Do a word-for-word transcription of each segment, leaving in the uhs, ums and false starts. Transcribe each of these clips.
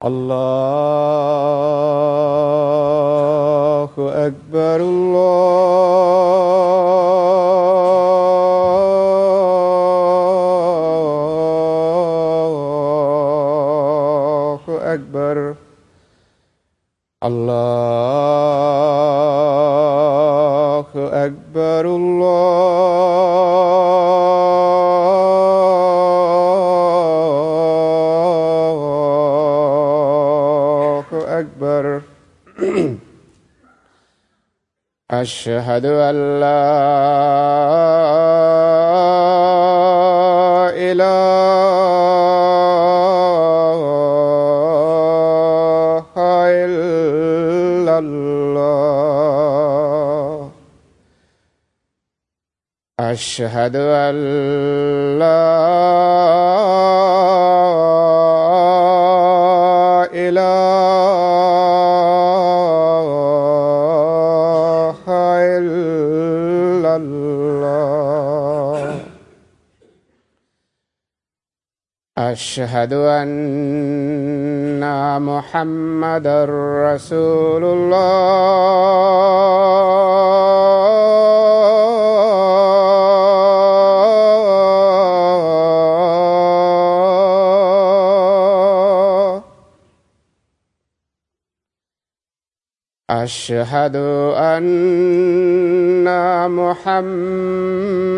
الله أكبر الله أكبر الله أكبر الله أكبر أشهد أن لا إله إلا الله أشهد أن لا إله إلا الله أشهد أن محمدا رسول الله أشهد أن محمدا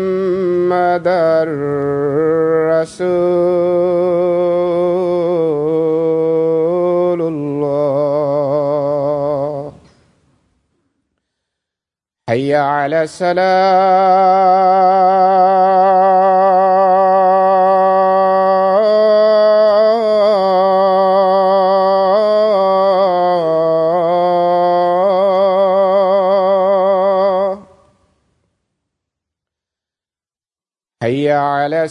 رسول الله حي على السلام حي على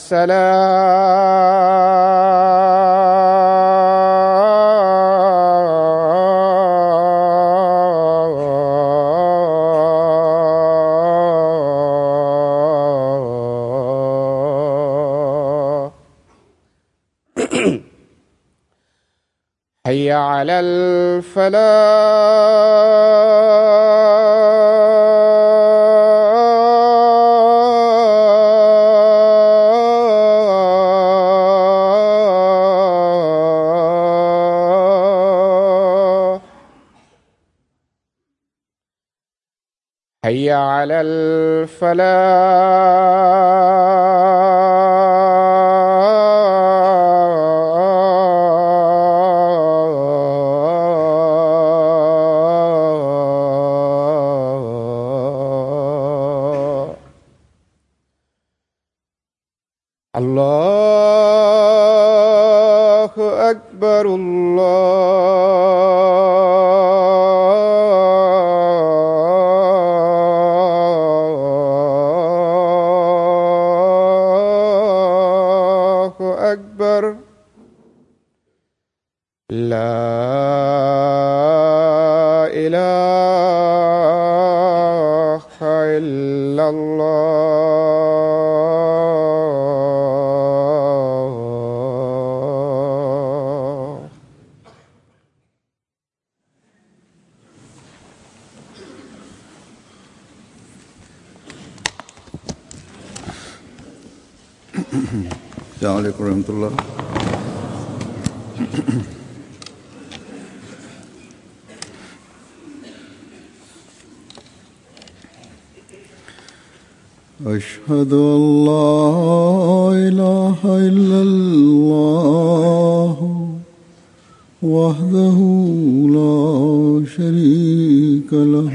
السلام حي على الفلاح حي على الفلاح الله أكبر الله أكبر لا إله إلا الله السلام عليكم ورحمة الله. أشهد أن لا إله إلا الله وحده لا شريك له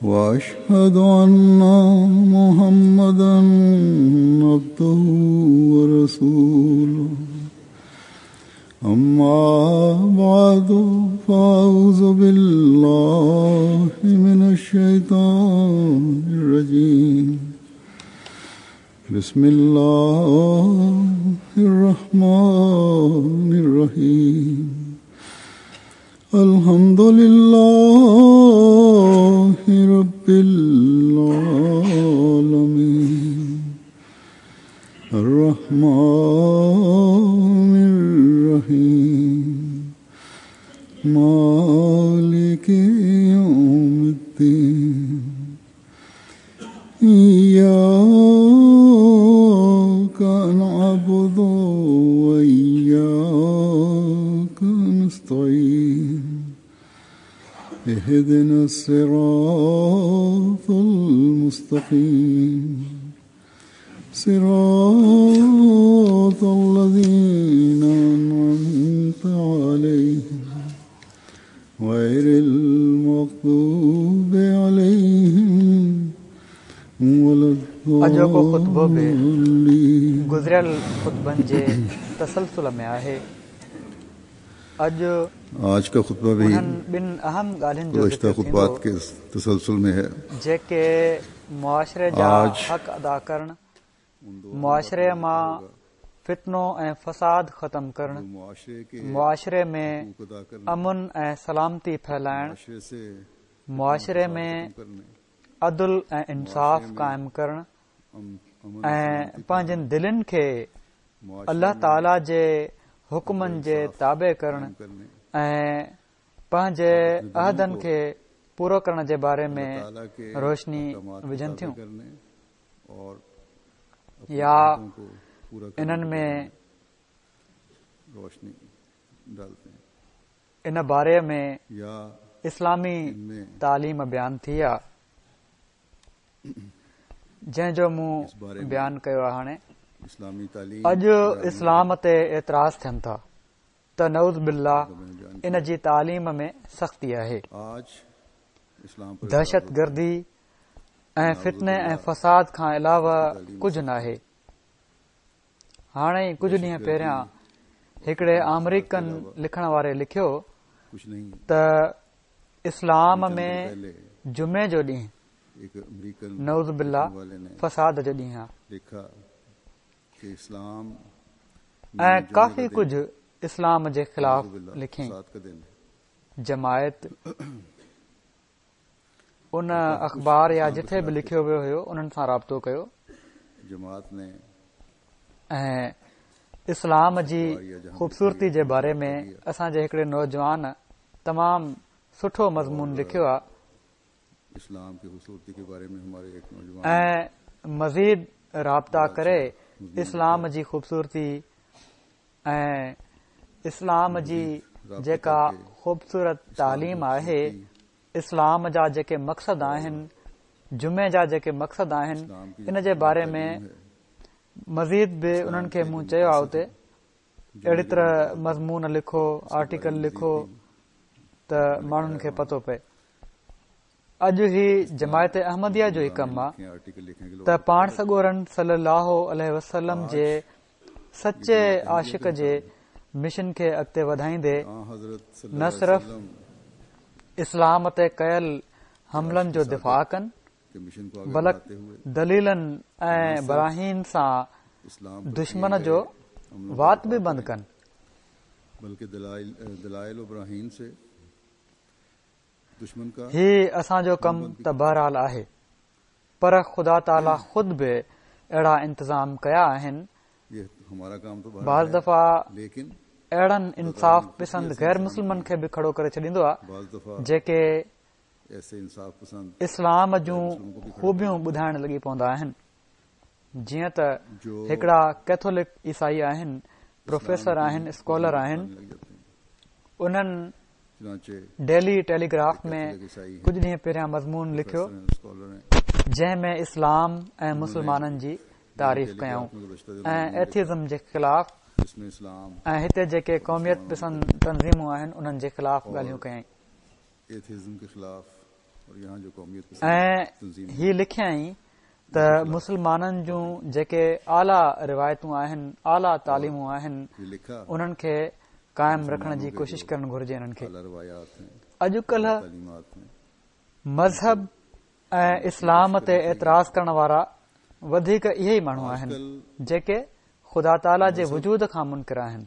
وأشهد أن محمدا عبده ورسوله أما بعد فأعوذ بالله من الشيطان الرجيم. بسم الله الرحمن الرحيم. الحمد لله رب العالمين الرحمن الرحيم مالك يوم الدين. إياك نعبد وإياك نستعين. اهدنا الصراط المستقيم صراط الذين أنعمت عليهم غير المغضوب عليهم ولا اڄوڪو خطبو به الضالين. گذريل خطبن جي تسلسل ۾ آهي. اڄ آج کا خطبہ بھی انهن ٻن اهم ڳالهين جو گزشتہ ذڪر خطبات ٿيندو کے تسلسل میں ہے. جيڪي معاشري جا آج حق ادا ڪرڻ، معاشري مان فتنو ۽ فساد ختم ڪرڻ، معاشرے کے معاشري ۾ حقوق ادا کرنے، امن ۽ سلامتي ڦهلائڻ، معاشرے سے معاشري ۾ کرنے، عدل ۽ انصاف قائم ڪرڻ ام- امن ۽ پنهنجن دلين کي معاشرے الله تعاليٰ جي حڪمن جي تابع ڪرڻ کرنے، ۽ پنهنجي عهدن کي پورو ڪرڻ جي باري ۾ تعالیٰ کے روشني احکامات کے وجهن تابع ٿيون کرنے اور اپنے يا عہدوں کو پورا کرنے انهن کے ۾ بارے میں روشنی ڈالتے ہیں ان باري ۾ یا اسلامي ان میں تعليم بيان ٿي آهي، جنهن جو مون اس باري ۾ بيان ڪيو آهي. هاڻي اسلامي تعليم اڄ اسلام تي اعتراض ٿين ٿا ته نعوذ بالله ان جي تعليم ۾ سختي آهي، آج اسلام پر دهشت گردي ۽ فتني ۽ فساد کان علاوه ڪجهه ناهي. هاڻي ئي ڪجهه ڏينهن پهريان هڪڙي آمريڪن لکڻ واري لکيو کچھ نہیں. ته اسلام ۾ پہلے جمعي جو ڏينهن ایک امریکن نعوذ بالله والے نے فساد جو ڏينهن آهي لکھا کہ اسلام ۽ ڪافي ڪجهه اسلام جي خلاف لکيائين. فساد کا دن ہے. جماعت ان اخبار يا جٿي به لکيو ويو هيو انهن سان رابطو ڪيو جماعت نے ۽ اسلام جي خوبصورتي جي باري ۾ اسان جي هڪڙي نوجوان تمام سٺو مضمون لکيو آهي اسلام کی خوبصورتی کے بارے میں ہمارے ایک نوجوان ۽ مزيد رابطا ڪري اسلام جي خوبصورتي ۽ اسلام جي جيڪا خوبصورت تعليم آهي، اسلام جا جيڪي مقصد آهن، جمعي جا جيڪي مقصد آهن، ان جي باري ۾ مزيد به انهن کي مون چيو آهي اتي اهڙي طرح مضمون لکو، آرٽيڪل لکو ته ماڻهن کي پتو پئي. اڄ هي جماعت احمديه جو ئي ڪم آهي آرٹیکل لکھنے کے ته پاڻ سڳورن صلي الله عليه وسلم جي سچي عاشق جي مشن کي اڳتي وڌائيندي آن حضرت صلی نه اللہ علیہ صرف وسلم اسلام تي ڪيل حملن جو دفاع ڪن کے مشن کو آگے بلڪ بڑھاتے ہوئے دليلن ۽ براهين سان اسلام پر دشمن کیے جو گئے حملوں کا وات دفاع به بند کریں، ڪن. بلکہ دلائل دلائل و براہین سے دشمن کا هي اسان جو ڪم ته بهرحال آهي، پر خدا تعاليٰ خود به اهڙا انتظام ڪيا آهن. یہ ہمارا کام تو بہرحال بعض ہے، دفعا لیکن اهڙن انصاف پسند غير مسلمن کي به کڙو ڪري ڇڏيندو آهي بعض دفعہ جيڪي ایسے انصاف پسند اسلام جون خوبيون ٻڌائڻ لڳي پوندا آهن. جيئن ته هڪڙا ڪيٿولڪ عيسائي آهن، پروفيسر آهن، اسڪالر آهن، لگ جاتے ہیں. انهن چنانچہ ڊيلي ٽيليگراف ۾ عیسائی ہیں، ڪجهه ڏينهن پهريان مضمون لکيو اسکالر ہیں، جنهن ۾ اسلام ۽ مسلمانن جي تعريف ڪيائون ۽ ايٿيزم جي خلاف جس میں اسلام ۽ هتي جيڪي قوميت پسند تنظيمون آهن انهن جي خلاف ڳالهيون ڪيائين. ایتھزم کے خلاف اور یہاں جو قومیت پسند ۽ تنظیم هي لکيائين ته مسلمانن جون جيڪي اعليٰ روايتون آهن، اعليٰ تعليمون آهن، یہ لکھا انهن کي قائم رکڻ جي ڪوشش ڪرڻ گهرجي. انهن کي اعلیٰ روایات ہیں، اڄڪلهه تعلیمات ہیں، مذهب ۽ اسلام تي اعتراض ڪرڻ وارا وڌيڪ اهي ئي ماڻهو آهن جيڪي خدا تعاليٰ جي وجود کان منڪر آهن.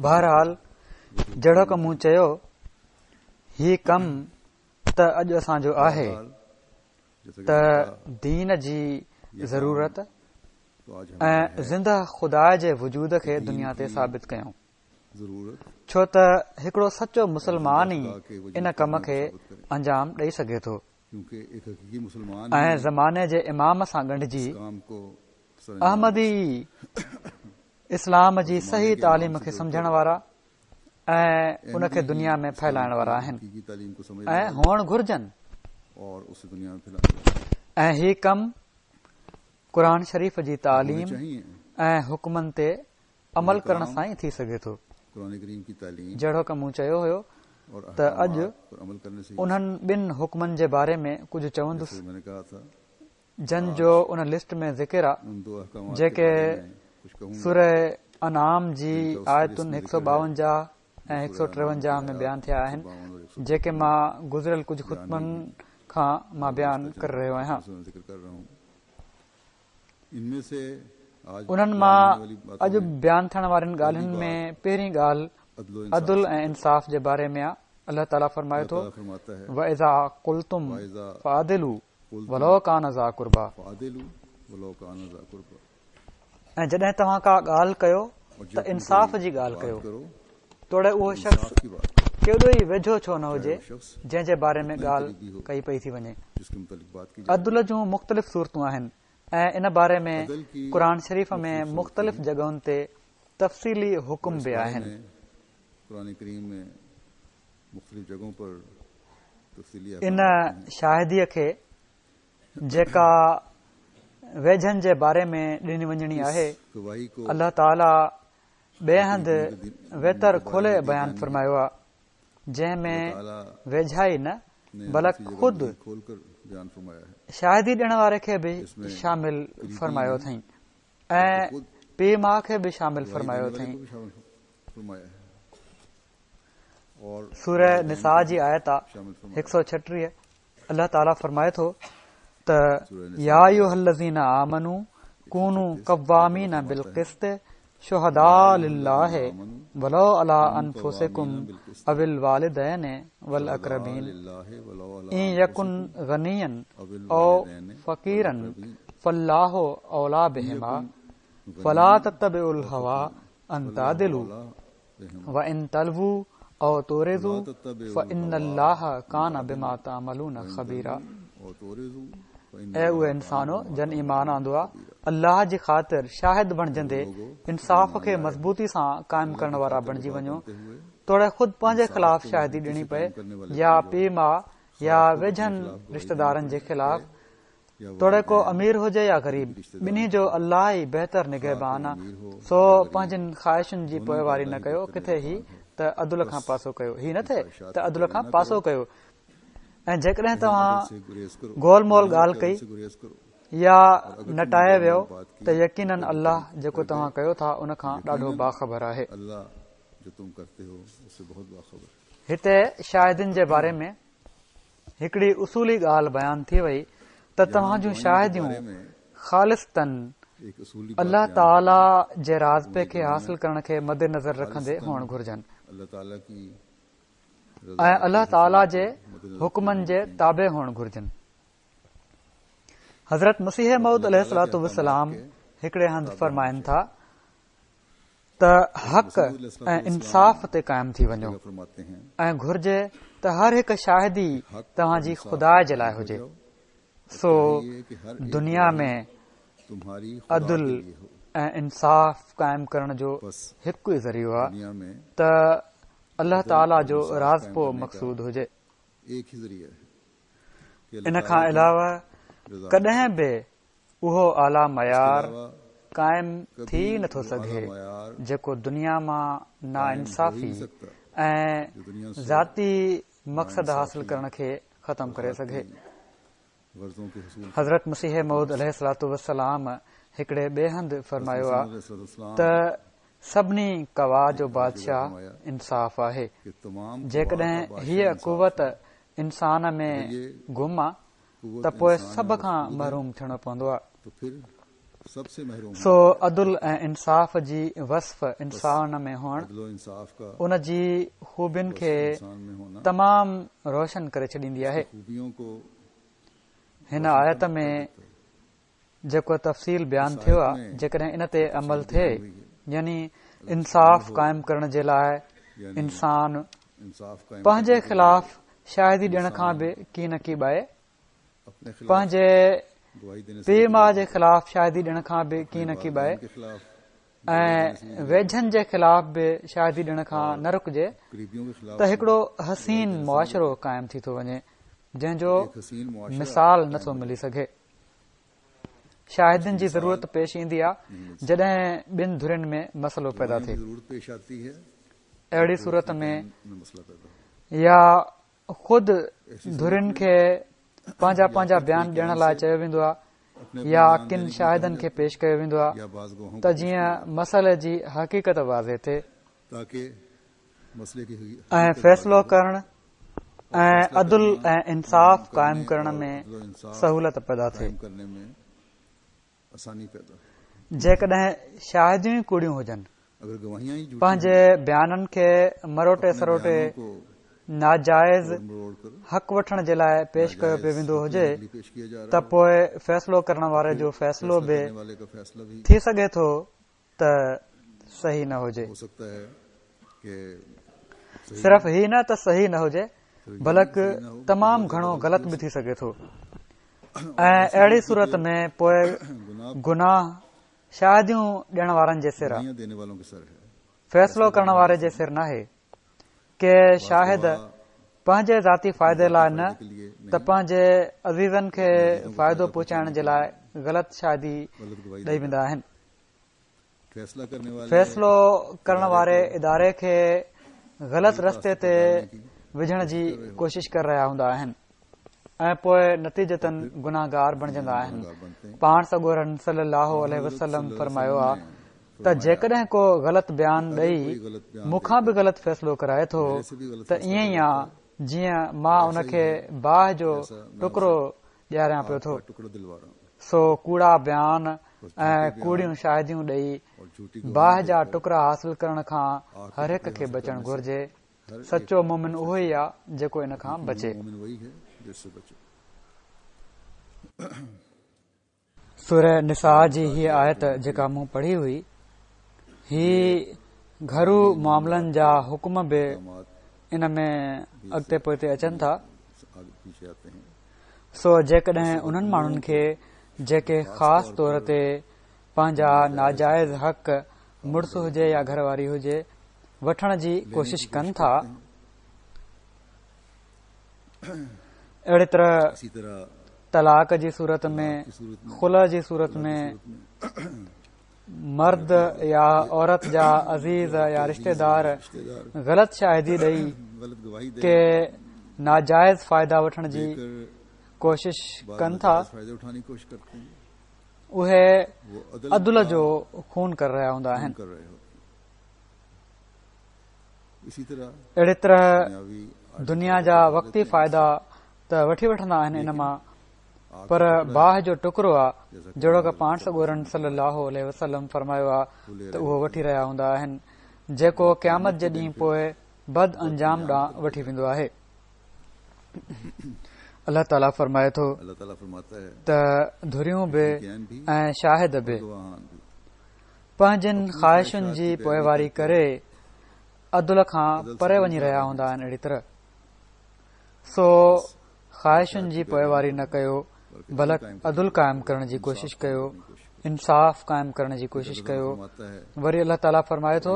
بهرحال جهڙوڪ مون چيو، هي ڪم ته اڄ اسان جو آهي ته دين جي ضرورت ۽ زنده خدا جي وجود کي دنيا تي ثابت ڪيون، ڇو ته هڪڙو سچو مسلمان ئي ان ڪم کي انجام ڏئي سگهي ٿو ۽ زماني جي امام سان ڳنڍجي احمدي اسلام جي صحيح تعليم کي سمجهڻ وارا ۽ ان کي دنيا ۾ ڦهلائڻ وارا آهن ۽ هئڻ گهرجن. ۽ هي ڪم قرآن شريف جي تعليم ۽ حڪمن تي عمل ڪرڻ سان ئي ٿي سگهي ٿو. جهڙوڪ مون چيو هيو ته اڄ انهن ٻن حڪمن جي باري ۾ ڪجهه چوندس جن جو ان لسٽ ۾ ذڪر آ، جيڪي سوره انعام جي آيتن هڪ سؤ ٻاونجاهه ۽ هڪ سؤ ٽيونجاهه ۾ بيان ٿيا آهن، جيڪي مان گذريل ڪجهه خطبن کان مان بيان ڪري رهيو آهيان. انهن مان اڄ بيان ٿيڻ وارين ڳالهين ۾ پهرين ڳالهه عدل ۽ انصاف جي باري ۾ آ. الله تعاليٰ فرمائي ٿو، وَإِذَا قُلْتُمْ فَاعْدِلُوا وَلَوْ كَانَ ذَا قُرْبَىٰ، ۽ جڏهن توهان ڪا ڳالهه ڪيو ته انصاف جي ڳالهه ڪيو، توڙي اهو شخص ڪيڏو ئي ويجهو ڇو نه هجي جنهن جي باري ۾ ڳالهه ڪئي پئي ٿي وڃي. عدل جون مختلف صورتون آهن ۽ ان باري ۾ قرآن شريف ۾ مختلف جڳهن تي تفصيلي حڪم به آهن. ان شاهديء کي جيڪا ويجهن جي باري ۾ ڏني وڃڻي آهي، الله تعاليٰ ٻئي هنڌ ويتر کولي بيان فرمايو آهي، جنهن ۾ ويجهائي نه بلڪ خود شاهدي ڏيڻ واري کي به شامل فرمايو اٿئين ۽ پيء ماء کي به شامل فرمايو اٿئين. سوره نساء جي آيت هڪ سؤ ڇٽيهه، الله تعاليٰ فرمائي ٿو ته يا ايها الذين آمنوا ڪونوا قوامين بالقسط شهداء لله ولو على انفسڪم او الوالدين والاقربين ان يڪن غنيا او فقيرا فالله اولى بهما فلا تتبعوا الهوى ان تعدلوا وان تلووا او تعرضوا فان الله ڪان بما تعملون خبيرا. اي اهي انسانو جن ايمان آندو آ، الله جي خاطر شاهد بڻجندي انصاف کي مضبوطي سان قائم ڪرڻ وارا بڻجي وڃو، توڙي خود پنهنجي خلاف شاهدي ڏيڻي پئي يا پيء ماء يا ويجهن رشتيدارن جي خلاف، توڙي ڪو امير هجي يا غريب، ٻنهي جو الله ئي بهتر نگهبان آ، سو پنهنجين خواهشن جي پوئواري نه ڪيو، ڪٿي هي ته عدل کان پاسو ڪيو، هي نه ٿئي ته عدل کان پاسو ڪيو. ۽ جيڪڏهن توهان گول مول ڳالهه ڪئي يا نٽائي ويو ته يقيناً الله جيڪو توهان ڪيو ٿا ان کان ڏاڍو باخبر آهي. هتي شاهدين جي باري ۾ هڪڙي اصولي ڳالهه بيان ٿي وئي ته توهان جون شاهديون خالصتاً الله تعاليٰ جي راضپي کي حاصل ڪرڻ کي مدنظر رکندي هئڻ گهرجن ۽ الله تعاليٰ جي حڪمن جي تابع هئڻ گهرجن. حضرت مسيح موعود عليه الصلوة والسلام هڪڙي هنڌ فرمائن ٿا ته حق ۽ انصاف تي قائم ٿي وڃو ۽ گهرجي ته هر هڪ شاهدي توهان جي خدا جي لاءِ هجي. سو دنيا ۾ عدل ۽ انصاف قائم ڪرڻ جو هڪ ئي ذريعو آهي ته الله تعاليٰ جو راضپو مقصود هجي. ان کان علاوه ڪڏهن به اهو اعليٰ معيار قائم ٿي نٿو سگهي جيڪو دنيا مان ناانصافي ۽ ذاتي مقصد حاصل ڪرڻ کي ختم ڪري سگهي. حضرت مسيح موعود عليه الصلوة والسلام هڪڙي ٻئي هنڌ فرمايو آ ته سڀني قوا جو بادشاهه انصاف آهي. جيڪڏهن هيء قوت انسان ۾ گم آ ته پوءِ سڀ کان محروم ٿيڻو پوندو آ. سو عدل ۽ انصاف جي وصف انسان ۾ هئڻ ان جي خوبين کي تمام روشن ڪري ڇڏيندي آهي. هن آيت ۾ جيڪو تفصيل بيان ٿيو آهي، جيڪڏهن ان تي عمل ٿئي، يعني انصاف قائم ڪرڻ جي لاءِ انسان پنهنجي خلاف شاهدي ڏيڻ کان به ڪين ڪيٻائي، پنهنجي پيءُ ماءُ جي خلاف شاهدي ڏيڻ کان به ڪين ڪيٻائي ۽ ويجهن جي خلاف به شاهدي ڏيڻ کان نه رڪجي ته هڪڙو حسين معاشرو قائم ٿي ٿو وڃي جنهن جو مثال نٿو ملي سگهي. شاهدين جي ضرورت پيش ايندي آهي جڏهن ٻن ڌرين ۾ مسئلو پيدا ٿئي. اهڙي صورت ۾ يا خود ڌرين کي پنهنجا پنهنجا بيان ڏيڻ لاءِ چيو ويندو آهي يا ڪن شاهدن کي پيش ڪيو ويندو آهي ته جيئن مسئلي جي حقيقت واضح ٿئي ۽ فيصلو ڪرڻ ۽ عدل ۽ انصاف قائم ڪرڻ ۾ سهولت پيدا ٿئي. جيڪڏهن شاهديون ئي ڪوڙيون هجن، پنهنجي بيانن کي مروٽي سروٽي ناجائز حق وٺڻ جي لاءِ پيش ڪيو پيو ويندو هجي ته پوءِ فيصلو ڪرڻ واري جو فيصلو به ٿي سگهي ٿو ته صحيح نه هجي. صرف هي نه ته صحيح نه هجي بلڪ تمام گهڻو غلط به ٿي سگهي ٿو ۽ اهڙي صورت ۾ پوءِ گناهه شاهديون ڏيڻ وارن جي سر آهي، فيصلو ڪرڻ واري جي سر ناهي. ڪي شاهد پنهنجي ذاتي فائدي لاءِ نه ته پنهنجي عزيزن کي فائدو پهچائڻ جي لاءِ غلط شاهدي ڏيئي ويندا آهن. فيصلو ڪرڻ واري اداري کي غلط رستي تي وجهڻ جي ڪوشش ڪري رهيا هوندا آهن ۽ پوءِ نتيجتن گناهگار بڻجندا آهن. پاڻ سڳورن صلي الله عليه وسلم فرمايو آهي ته جيڪڏهن ڪو غلط بيان ڏيئي مون کان به غلط فيصلو ڪرائي ٿو ته ائين ئي آهي جيئن مان ان کي باهه جو ٽڪرو ڏياريان پيو ٿو. سو ڪوڙا بيان ۽ ڪوڙيون شاهديون ڏيئي باهه جا ٽڪرا حاصل ڪرڻ کان هر هڪ کي بچڻ گهرجي. سچو مومن اهو ئي آهي جيڪو ان کان بچي. سوره نساء جي هيءَ آيت جيڪا مون پڙهي هئي، هي گهرو معاملن جا حڪم به ان ۾ اڳتي پوئتي اچن ٿا. سو جيڪڏهن انهن ماڻهن کي جيڪي خاص طور تي پنهنجا ناجائز حق مڙس هجي يا گهر واري هجي وٺڻ جي ڪوشش ڪن ٿا، اهڙي طرح طلاق جي صورت ۾ خلع جي صورت ۾ مرد يا عورت جا عزيز يا رشتيدار غلط شاهدي ڏيئي ڪي ناجائز فائدا وٺڻ جي ڪوشش ڪن ٿا، اهي عدل جو خون ڪري رهيا هوندا آهن. اهڙي طرح دنيا جا وقتي فائدا ته وٺي وٺندا آهن ان مان، پر باهه جو ٽڪرو آهي جهڙوڪ پاڻ سڳورن صلي الله عليه وسلم فرمايو آهي ته اهو وٺي رهيا هوندا آهن جيڪو قيامت جي ڏينهن پوءِ بد انجام ڏانهن وٺي ويندو آهي. الله تعاليٰ فرمائي ٿو ته ڌريون به ۽ شاهد به پنهنجن خواهشن جي پوئواري ڪري عدل کان پري وڃي رهيا هوندا آهن. اهڙي طرح سو خواهشن جي پوئواري نه ڪيو بلڪ عدل قائم ڪرڻ جي ڪوشش ڪيو، انصاف قائم ڪرڻ جي ڪوشش ڪيو. وري الله تعاليٰ فرمائي ٿو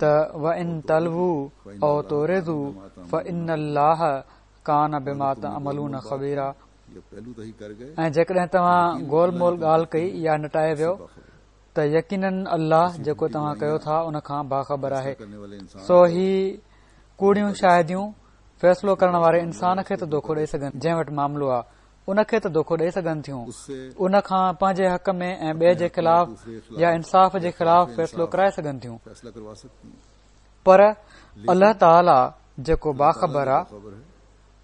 ته وَإِن تَلْوُوا أَوْ تُعْرِضُوا فَإِنَّ اللَّهَ ڪان بما تعملون خبيرا. ۽ جيڪڏهن توهان گول مول ڳالهه ڪئي يا نٽائي ويو ته يقينن الله جيڪو توهان ڪيو ٿا ان کان باخبر آهي. سو هي ڪوڙيون شاهديون فيصلو ڪرڻ واري انسان کي ته دوکو ڏيئي سگهن، جنهن وٽ معاملو آهي ان کي ته دوکو ڏيئي سگهن ٿيون، ان کان پنهنجي حق ۾ ۽ ٻئي جي خلاف يا انصاف جي خلاف فيصلو ڪرائي سگهن ٿيون، پر الله تعاليٰ جيڪو باخبر آهي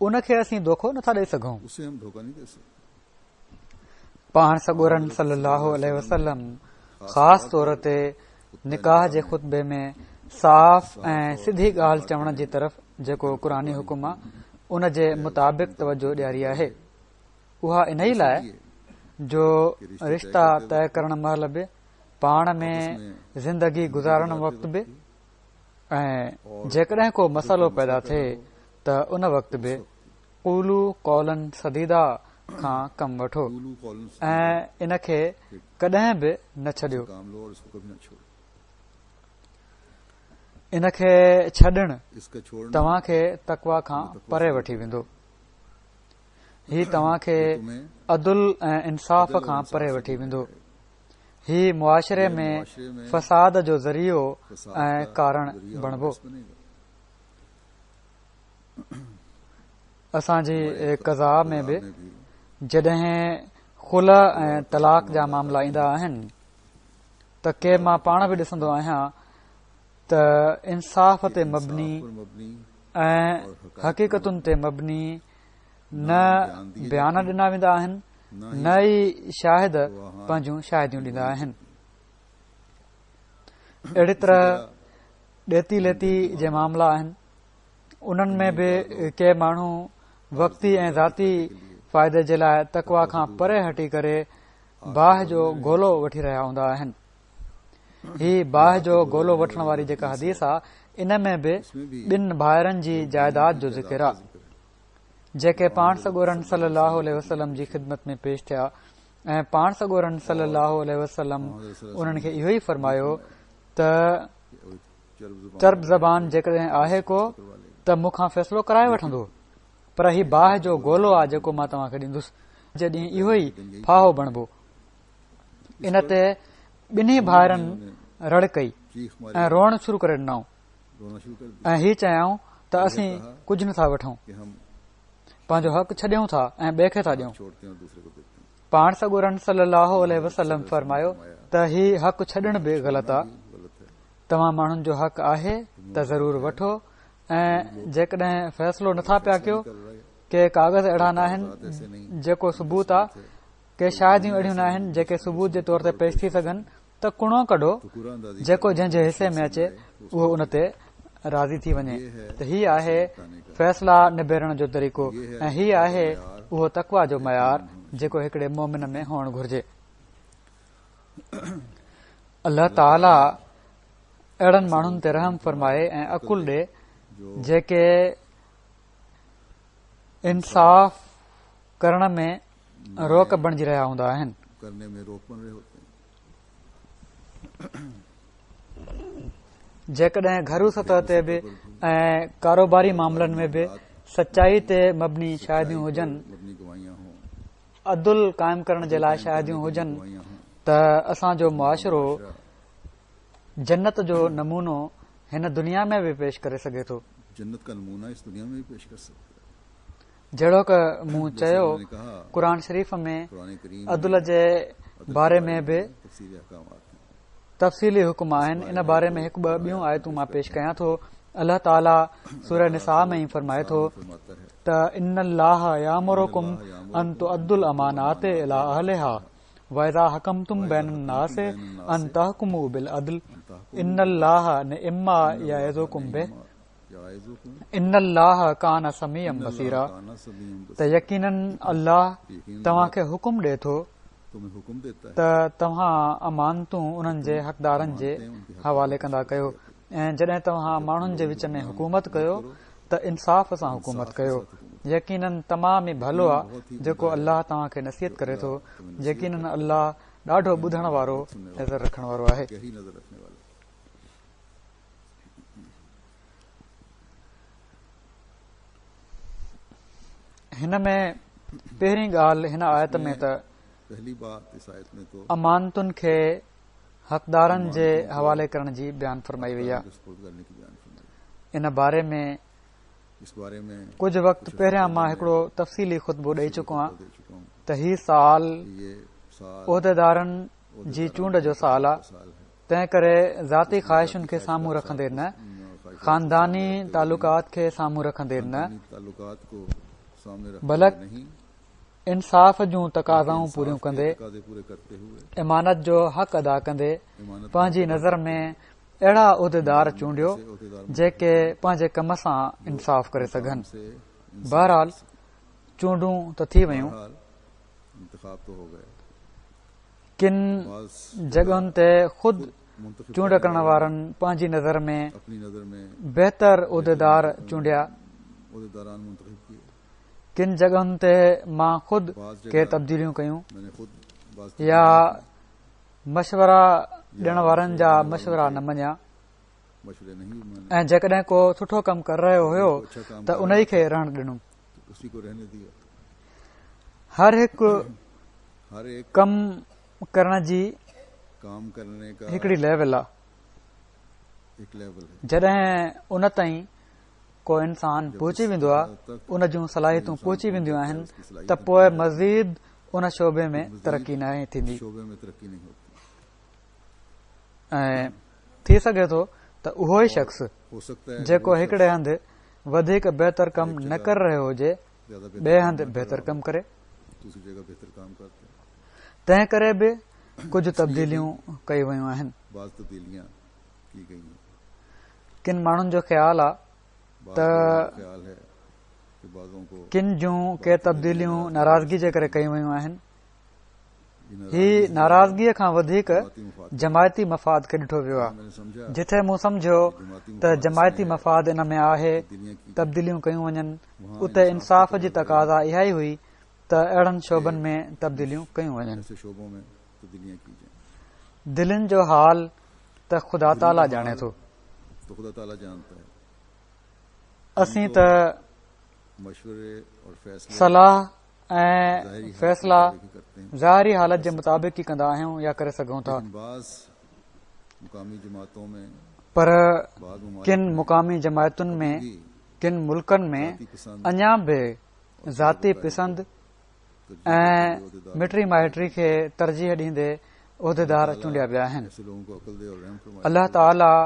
ان کي اسين دوکو نٿا ڏئي سگهون. پاڻ سڳورن صلي الله عليه وسلم خاص طور تي نڪاح جي خطبي ۾ صاف ۽ سڌي ڳالهه چوڻ جي طرف جيڪو قرآني حڪم آهي ان جي مطابق توجه ڏياري آهي. اها انهي لاء جو رشتا طئي ڪرڻ مهل به، پاڻ ۾ زندگي گذارڻ وقت به ۽ جيڪڏهن ڪو مسئلو پيدا ٿئي ته ان وقت به قولوا قولا سديدا کان ڪم وٺو ۽ ان کي ڪڏهن به نه ڇڏيو. ان کي ڇڏڻ توهان کي تقويٰ کان پري وٺي ويندو. هي توهان کي عدل ۽ انصاف کان پري وٺي ويندو. هي معاشري ۾ فساد جو ذريعو ۽ ڪارڻ بڻبو. اسان جي قضا ۾ به جڏهن خلع ۽ طلاق جا معاملا ايندا آهن ته ڪي مان پاڻ به ڏسندو آهيان ته انصاف تي مبني ۽ حقيقتن تي مبني نه بيان ڏنا ويندا آهن، نه ئي شاهد پنهنجون شاهديون ڏيندا آهن. اهڙي طرح ڏيتي ليتي جي معاملا آهن، انهن ۾ به ڪي ماڻهو وقتي ۽ ذاتي فائدي جي لاءِ تقويٰ کان پري هٽي ڪري باهه جو گولو وٺي رهيا هوندا آهن. هي باهه جو گولو وٺڻ واري جيڪا حديث آهي ان ۾ به ٻن ڀائرن جي جائيداد جو ذڪر آهي جيڪي پاڻ سڳورن صلي الله عليه وسلم جي خدمت ۾ پيش ٿيا ۽ پاڻ سڳورن صلي الله عليه وسلم انهن کي اهو ئي فرمايو ته چرب زبان جيڪڏهن آهي ڪو ته مون کان فيصلو ڪرائي وٺندو، پر هي باهه جو گولو آهي جيڪو مان توهان کي ڏيندس، جي ڏينهن اهو ئي ڦاهو بڻبو. ان تي ٻنهي ڀائرن رڙ ڪئي ۽ روئڻ شروع ڪري ڏنائون ۽ هي چيائون ته اسين ڪجهه نٿا وٺون، پنهنجو حق ڇڏيون ٿا ۽ ٻئي کي ٿا ڏيون. پاڻ سڳورن صلي الله عليه وسلم فرمايو ته هي حق ڇڏڻ به غلط آهي، توهان ماڻهن جو حق آهي ته ضرور وٺو ۽ جيڪڏهن فيصلو نٿا پيا ڪيو، ڪي ڪاغذ اهڙا ناهن جيڪو ثبوت آهي، ڪي شاهديون اهڙيون ناهن جيڪي ثبوت جي طور تي پيش ٿي سگهن ته قرعو ڪڍو، جيڪو جنهن جي حصي ۾ اچي اهو ان تي راضي ٿي وڃي. ته هي آهي فيصلا نبيرڻ جو طريقو ۽ هي آهي اهو تقويٰ جو معيار جيڪو هڪڙي مومن ۾ هئڻ گهرجي. الله تعاليٰ اهڙن ماڻهن تي رحم فرمائي ۽ عقل ڏي جيڪي انصاف ڪرڻ ۾ روڪ بڻجي رهيا هوندا آهن. جيڪڏهن گهرو سطح تي به ۽ ڪاروباري معاملن ۾ به سچائي تي مبني شاهديون هجن، عدل قائم ڪرڻ جي لاءِ شاهديون هجن ته اسان جو معاشرو جنت جو نمونو هن دنيا ۾ به پيش ڪري سگهي ٿو. جهڙوڪ مون چيو قرآن شريف ۾ عدل جي باري ۾ به تفصيلي حڪم آهن. ان باري ۾ هڪ ٻه ٻيون آيتون مان پيش ڪيان ٿو. الله تعاليٰ سوره نساء ۾ ئي فرمائي ٿو ته ان الله يامرڪم ان تؤدوا الامانات الي اهلها واذا حڪمتم بين الناس ان تحڪموا بالعدل ان الله نعما يعظڪم به ان الله ڪان سميعا بصيرا. ته يقيناً الله توهان کي حڪم ڏئي ٿو ته توهان امانتون انهن جي حقدارن جي حوالي ڪندا ڪيو ۽ جڏهن توهان ماڻهن جي وچ ۾ حڪومت ڪيو ته انصاف سان حڪومت ڪيو. يقيناً تمام ئي ڀلو آهي جيڪو الله توهان کي نصيحت ڪري ٿو. يقيناً الله ڏاڍو ٻڌڻ وارو نظر رکڻ وارو آهي. هن ۾ پهرين ڳالهه هن آيت ۾ ته امانتن کي حقدارن جي حوالي ڪرڻ جي بيان فرمائي وئي آهي. ان باري ۾ ڪجهه وقت پهريان مان هڪڙو تفصيلي خطبو ڏئي چڪو آهيان ته هي سال عهديدارن جي چونڊ جو سال آهي، تنهن ڪري ذاتي خواهشن کي سامهون رکندي نه، خانداني تعلقات کي سامهون رکندي نه، بلڪ انصاف جون تقاضائون پوريون ڪندي، امانت جو حق ادا ڪندي پنهنجي نظر ۾ اهڙا عهديدار چونڊيو جيڪي پنهنجي ڪم سان انصاف ڪري سگهن. بهرحال چونڊون ته ٿي ويون. ڪن جڳهن تي خود چونڊ ڪرڻ وارن پنهنجي نظر ۾ بهتر عهديدار چونڊيا. ڪن جڳهن تي مان خود ڪي تبديليون ڪيون يا مشورا ڏيڻ وارن جا مشورا نه مڃيا، ۽ جيڪڏهن ڪو سٺو ڪم ڪري رهيو هيو ته انهي کي رهڻ ڏنو. هر هڪ ڪم ڪرڻ جي هڪڙي ليول آهي. جڏهن ان تائين ڪو انسان پهچي ويندو آهي، ان جون صلاحيتون پهچي وينديون آهن، ته پوء مزيد ان شعبي ۾ ترقي ناهي ٿيندي. ۽ ٿي سگهي ٿو ته اهو ئي شخص جيڪو هڪڙي هنڌ وڌيڪ بهتر ڪم نه ڪري رهيو هجي، ٻئي هنڌ بهتر ڪم ڪري. تنهن ڪري به ڪجهه تبديليون ڪيون ويون آهن. ڪن ماڻهن جو خيال آهي ته ڪن جون ڪي تبديليون ناراضگي جي ڪري ڪيون ويون آهن. هي ناراضگيء کان وڌيڪ جماعتي مفاد کي ڏٺو ويو آهي. جتي مون سمجهيو ته جماعتي مفاد ان ۾ آهي تبديليون ڪيون وڃن، اتي انصاف جي تقاضا اها ئي هئي ته اهڙن شعبن ۾ تبديليون ڪيون وڃن. دلين جو حال ته خدا تعاليٰ ڄاڻي ٿو. اسين ته صلاح ۽ فيصلا ظاهري حالت جي مطابق ئي ڪندا آهيون يا ڪري سگهون ٿا، پر ڪن مقامي جماعتن ۾ ڪن ملڪن ۾ اڃا به ذاتي پسند ۽ مٽي مائٽي کي ترجيح ڏيندي عهديدار چونڊيا ويا آهن. الله تعاليٰ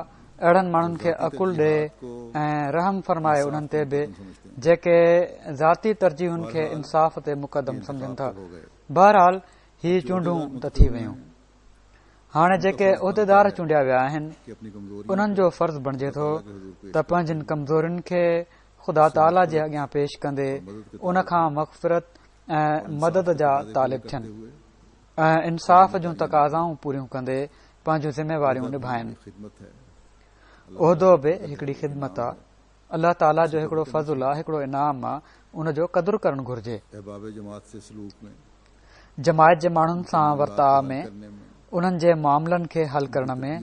اهڙن ماڻهن کي عقل ڏي ۽ رحم فرمائي انهن تي به جيڪي ذاتي ترجيحن کي انصاف تي مقدم سمجهن ٿا. بهرحال هي چونڊون ته ٿي ويون. هاڻي جيڪي عهديدار چونڊيا ويا آهن انهن جو فرض بڻجي ٿو ته پنهنجن ڪمزورين کي خدا تعاليٰ جي اڳيان پيش ڪندي ان کان مغفرت ۽ مدد جا طالب ٿين ۽ انصاف جون تقاضائون پوريون ڪندي پنهنجون ذميواريون نڀائين. عهدو به هڪڙي خدمت آهي. الله تعاليٰ جو هڪڙو فضل آهي، هڪڙو انعام آهي، ان جو قدر ڪرڻ گهرجي. جماعت جي ماڻهن سان ورتاء ۾، انهن جي معاملن کي حل ڪرڻ ۾،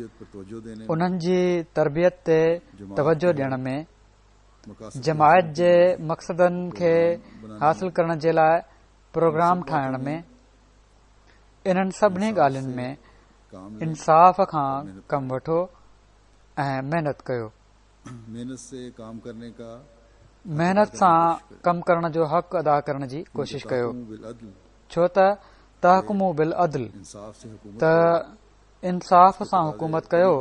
انهن جي تربيت تي توجه ڏيڻ ۾، جماعت جي مقصدن کي حاصل ڪرڻ جي لاء پروگرام ٺاهڻ ۾، انهن سڀني ڳالهين ۾ انصاف کان ڪم وٺو ۽ محنت ڪيو. محنت سان ڪم ڪرڻ جو حق ادا ڪرڻ جي ڪوشش ڪيو، ڇو ته تحڪموا بالعدل، ته انصاف سان حڪومت ڪيو.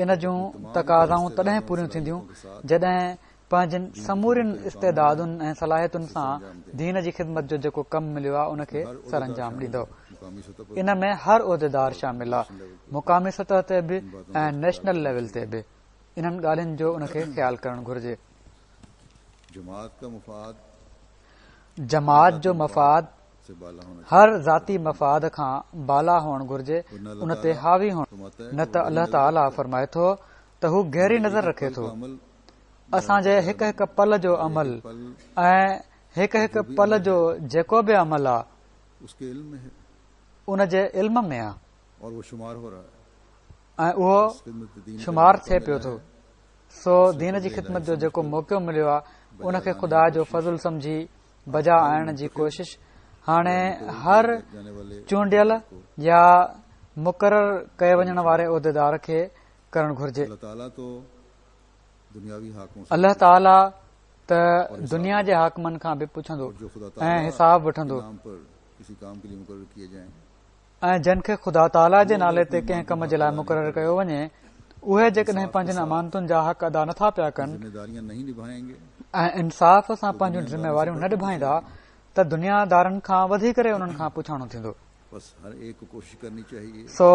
ان جون تقاضائون تڏهن پوريون ٿينديون جڏهن پنهنجن سمورين استعدادن ۽ صلاحيتن سان دين جي خدمت جو جيڪو ڪم مليو آهي ان کي سرانجام ڏيندو. ان ۾ هر عهديدار شامل آهي، مقامي سطح تي به ۽ نيشنل ليول تي به. انهن ڳالهين جو ان کي خيال ڪرڻ گهرجي. جماعت جو مفاد هر ذاتي مفاد کان بالا هئڻ گهرجي، ان تي حاوي هئڻ. نه ته الله تعاليٰ فرمائي ٿو ته هو گهري نظر رکي ٿو. اسان جي هڪ هڪ پل جو عمل ۽ هڪ هڪ پل جو جيڪو به عمل آهي ان جي علم ۾ آهي ۽ اهو شمار ٿئي پيو ٿو. سو دين جي خدمت جو جيڪو موقعو مليو آهي ان کي خدا جو فضل سمجهي بجا آڻڻ جي ڪوشش هاڻي هر چونڊيل يا مقرر ڪئي وڃڻ واري عهديدار کي ڪرڻ گهرجي. الله تعاليٰ ته دنيا جي حاڪمن کان به پڇندو ۽ حساب وٺندو، ۽ جن کي خدا تعاليٰ جي نالي تي ڪنهن ڪم جي لاء مقرر ڪيو وڃي اهي جيڪڏهن پنهنجن امانتن جا حق ادا نٿا پيا ڪن ۽ انصاف سان پنهنجون ذميواريون نه نڀائيندا ته دنيا دارن کان وڌي ڪري انهن کان پڇاڻو ٿيندو. سو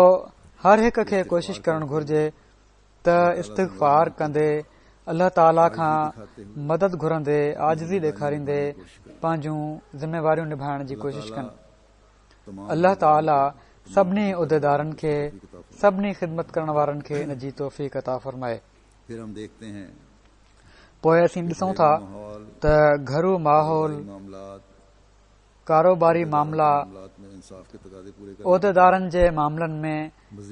هر هڪ کي ڪوشش ڪرڻ گهرجي ته استغفار ڪندي، الله تعاليٰ کان مدد گهرندي، عاجزي ڏيکاريندي پنهنجون ذميواريون نڀائڻ جي ڪوشش ڪن. الله تعاليٰ سڀني عهديدارن کي، سڀني خدمت ڪرڻ وارن کي ان جي توفيق عطا فرمائي. پوءِ اسين ڏسون ٿا ته گهرو ماحول، ڪاروباري معاملا، عهديدارن جي معاملن ۾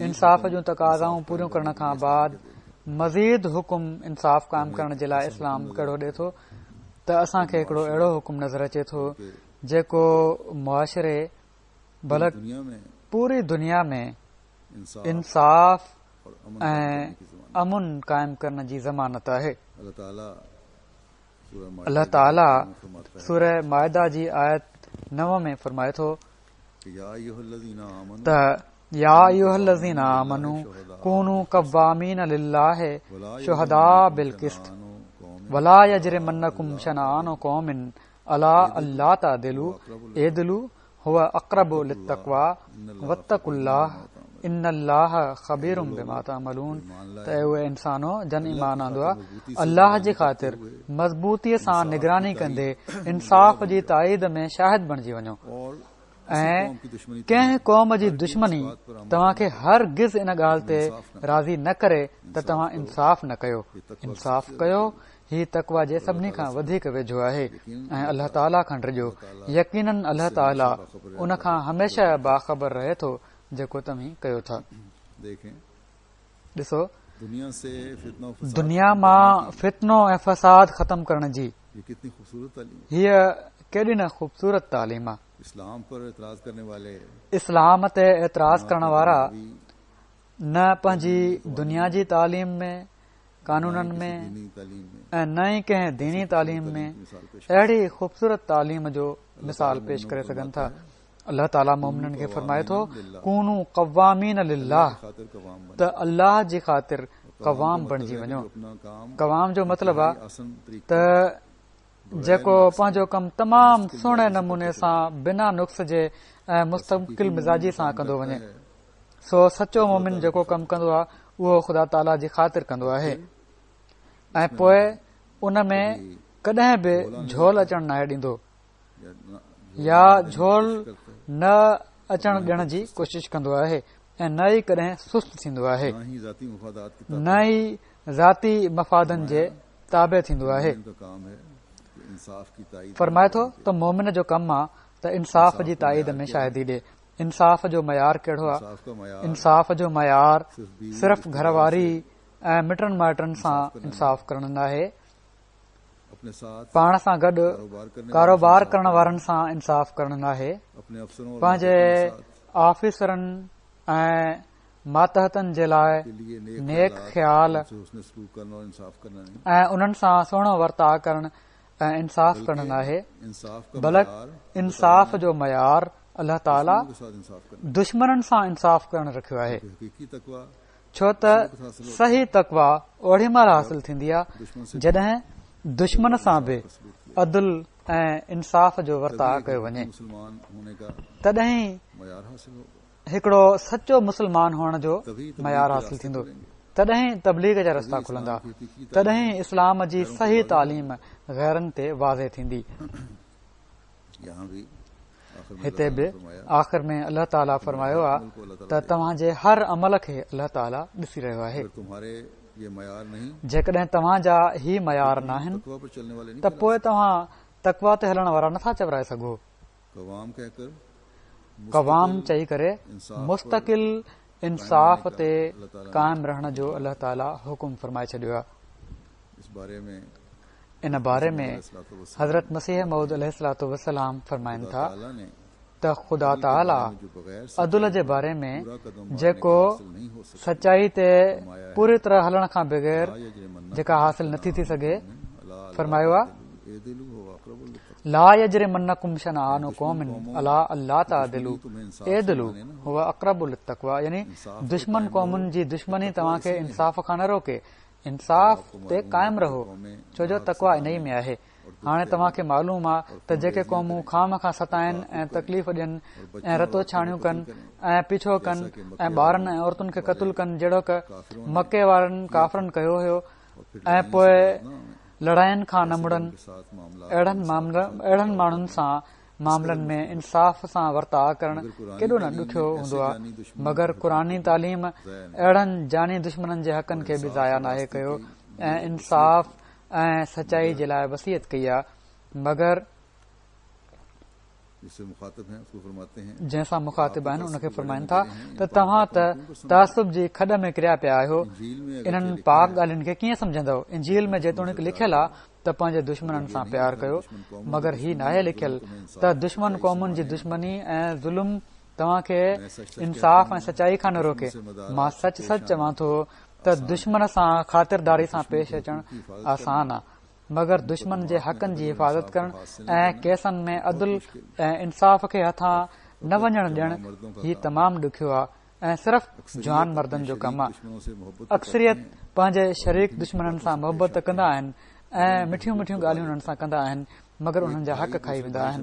انصاف جون تقاضائون پوريون ڪرڻ کان بعد مزيد حڪم انصاف قائم ڪرڻ جي لاءِ اسلام ڪهڙو ڏئي ٿو ته اسان کي هڪڙو اهڙو حڪم نظر اچي ٿو جيڪو معاشري بلڪ پوري دنيا ۾ انصاف ۽ امن قائم ڪرڻ جي ضمانت آهي. الله تعاليٰ سوره مائده جي آيت نو ۾ فرمائي ٿو ته يا ايها الذين آمنوا ڪونوا قوامين لله شهداء بالقسط ولا يجرمنڪم شنآن قوم علي الا تعدلوا اعدلوا هو اقرب للتقوى واتقوا الله ان الله خبير بما تعملون. ته اي انسانو جن ايمان آندو آهي، الله جي خاطر مضبوطيءَ سان نگراني ڪندي انصاف جي تائيد ۾ شاهد بڻجي وڃو ۽ ڪنهن قوم جي دشمني توهان کي هرگز ان ڳالهه تي راضي نه ڪري ته توهان انصاف نه ڪيو. انصاف ڪيو، هي تقويٰ جي سڀني کان وڌيڪ ويجهو آهي ۽ الله تعاليٰ کان ڊڄو، يقيناً الله تعاليٰ ان کان هميشه باخبر رهي ٿو جيڪو توهين ڪيو ٿا. ڏسو، دنيا مان فتنو ۽ فساد ختم ڪرڻ جي هيءَ ڪيڏي نه خوبصورت تعليم آهي. اسلام تي اعتراض ڪرڻ وارا نه پنهنجي دنيا جي تعليم ۾، قانونن ۾ ۽ نه ئي ڪنهن ديني تعليم ۾ اهڙي خوبصورت تعليم جو مثال پيش ڪري سگهن ٿا. الله تعاليٰ مومنن کي فرمائي ٿو ڪونوا قوامين لله، ته الله جي خاطر قوام بڻجي وڃو. قوام جو مطلب آهي ته جيڪو پنهنجو ڪم تمام سهڻي نموني سان بنا نقص جي ۽ مستقل مزاجي سان ڪندو وڃي. سو سچو مومن جيڪو ڪم ڪندو آهي اهو خدا تعاليٰ جي خاطر ڪندو آهي ۽ پوءِ ان ۾ ڪڏهن به جهول اچڻ ناهي ڏيندو يا جهول نه اچڻ ڏيڻ جي ڪوشش ڪندو آهي ۽ نه ئي ڪڏهن سست ٿيندو آهي، نه ئي ذاتي مفادن جي تابع ٿيندو آهي. فرمائي ٿو ته مومن جو ڪم آهي ته انصاف جي تائيد ۾ شاهدي ڏي. انصاف جو معيار ڪهڙو آهي؟ انصاف جو معيار صرف گهر واري ۽ مٽن مائٽن سان انصاف ڪرڻ ناهي، پاڻ سان گڏ ڪاروبار ڪرڻ وارن سان انصاف ڪرڻ ناهي، پنهنجي آفيسرن ۽ ماتحتن جي لاءِ نيڪ خيال ۽ انهن سان سهڻو ورتاءُ ڪرڻ ۽ انصاف ڪرڻ ناهي، بلڪ انصاف جو معيار الله تعاليٰ دشمنن سان انصاف ڪرڻ رکيو آهي. ڇو ته صحيح تقويٰ اوڏي مهل حاصل ٿيندي آهي جڏهن دشمن سان به عدل ۽ انصاف جو ورتاءُ ڪيو وڃي، تڏهن هڪڙو سچو مسلمان هئڻ جو معيار حاصل ٿيندو، تڏهن تبليغ جا رستا کلندا، تڏهن اسلام جي صحيح تعليم غيرن تي واضح ٿيندي. هتي به آخر ۾ الله تعاليٰ فرمايو آهي ته توهان جي هر عمل کي الله تعاليٰ ڏسي رهيو آهي. جيڪڏهن توهان جا هي معيار ناهن ته پوءِ توهان تقويٰ تي هلڻ وارا نٿا چورائي سگهو. قوام چئي ڪري مستقل انصاف تي قائم رهڻ جو الله تعاليٰ حڪم فرمائي ڇڏيو آهي. ان باري ۾ حضرت مسيح موعود عليه الصلوة والسلام فرمائن ٿا ته خدا تعاليٰ عدل جي باري ۾ جيڪو سچائي تي پوري طرح هلڻ کان بغير جيڪا حاصل نٿي ٿي سگهي، فرمايو آهي لا يجرمنڪم شنآن قوم علي الا تعدلوا اعدلوا هو اقرب للتقويٰ، يعني دشمن قومن جي دشمني توهان کي انصاف کان نه روڪي، انصاف تي قائم رهو، ڇو جو تقويٰ انهي ۾ آهي. هاڻي توهان کي معلوم آهي ته جيڪي قومون خوامخواه ستائن ۽ تڪليف ڏين ۽ رتو ڇاڻيون ڪن ۽ پيڇو ڪن ۽ ٻارن ۽ عورتن کي قتل ڪن، جهڙوڪ مڪي وارن ڪافرن ڪيو هيو، ۽ پوء لڙاين کان نه مڙن، اهڙن اهڙن ماڻهن سان معاملن ۾ انصاف سان ورتاء ڪرڻ ڪيڏو نه ڏکيو هوندو آهي. مگر قرآني تعليم اهڙن جاني دشمنن جي حقن کي به ضايع ناهي ڪيو ۽ انصاف ۽ سچائي جي لاء وصيت ڪئي آهي. مگر جنهن سان مخاطب آهن ان کي فرمائن ٿا ته توهان ته تعصب جي کڏ ۾ ڪريا پيا آهيو، انهن پاڪ ڳالهين کي ڪيئن سمجهندؤ؟ انجيل ۾ جيتوڻيڪ لکيل آهي ته پنهنجي دشمنن سان پيار ڪيو، مگر هي ناهي لکيل ته دشمن قومن جي دشمني ۽ ظلم توهان کي انصاف ۽ سچائي کان نه روڪي. مان سچ سچ چوان ٿو ته دشمن سان خاطرداري سان پيش اچڻ آسان آهي، مگر دشمن جي حقن جي حفاظت ڪرڻ ۽ ڪيسن ۾ عدل ۽ انصاف کي هٿان نه وڃڻ ڏيڻ هي تمام ڏکيو آهي ۽ صرف جوان مردن جو ڪم آهي. اڪثريت پنهنجي شريڪ دشمنن سان محبت ڪندا آهن ۽ مٺيون مٺيون ڳالهيون انهن سان ڪندا آهن، مگر انهن جا حق کائي ويندا آهن.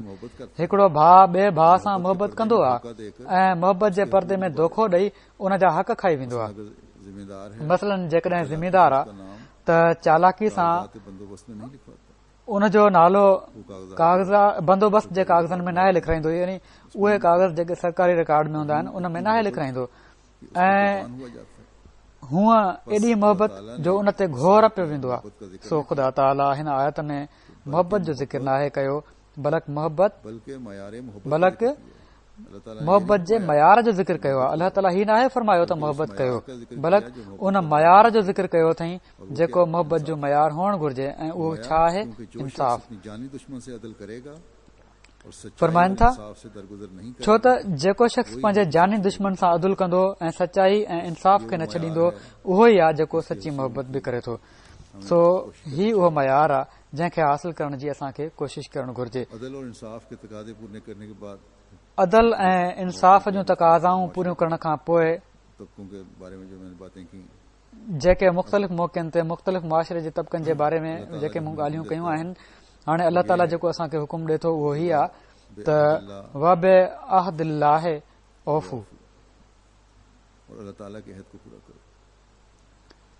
هڪڙو ڀاء ٻئي ڀاء سان محبت ڪندو آهي ۽ محبت جي پردي ۾ دوکو ڏئي ان جا حق کائي ويندو آهي. مثلاً جيڪڏهن ذميدار آهي ته چالاڪي سان ان جو نالو ڪاغذ بندوبست جي ڪاغذن ۾ ناهي لکرائيندو، يعني اهي ڪاغذ جيڪي سرڪاري رڪارڊ ۾ هوندا آهن ان ۾ ناهي لکرائيندو، ۽ هونء ايڏي محبت جو ان تي گهور پيو ويندو آهي. سو خدا تعاليٰ هن آيت ۾ محبت جو ذڪر ناهي ڪيو، بلڪ محبت بلڪ محبت جي معيار جو ذڪر ڪيو آهي. الله تعاليٰ هي ناهي فرمايو ته محبت ڪيو، بلڪ ان معيار جو ذڪر ڪيو اٿئي جيڪو محبت جو معيار هئڻ گهرجي، ۽ اهو ڇا آهي؟ انصاف. فرمائن ٿا، ڇو ته جيڪو شخص پنهنجي جاني دشمن سان عدل ڪندو ۽ سچائي ۽ انصاف کي نه ڇڏيندو، اهو ئي آهي جيڪو سچي محبت به ڪري ٿو. سو هي اهو معيار آهي جنهن کي حاصل ڪرڻ جي اسان کي ڪوشش ڪرڻ گهرجي. عدل ۽ انصاف جون تقاضائون پوريون ڪرڻ کان پوء جيڪي مختلف موقعن تي مختلف معاشري جي طبقن جي باري ۾ جيڪي مون ڳالهيون ڪيون آهن، هاڻي الله تعاليٰ جيڪو اسان کي حڪم ڏئي ٿو اهو هي آهي ته وبعهد الله اوفوا،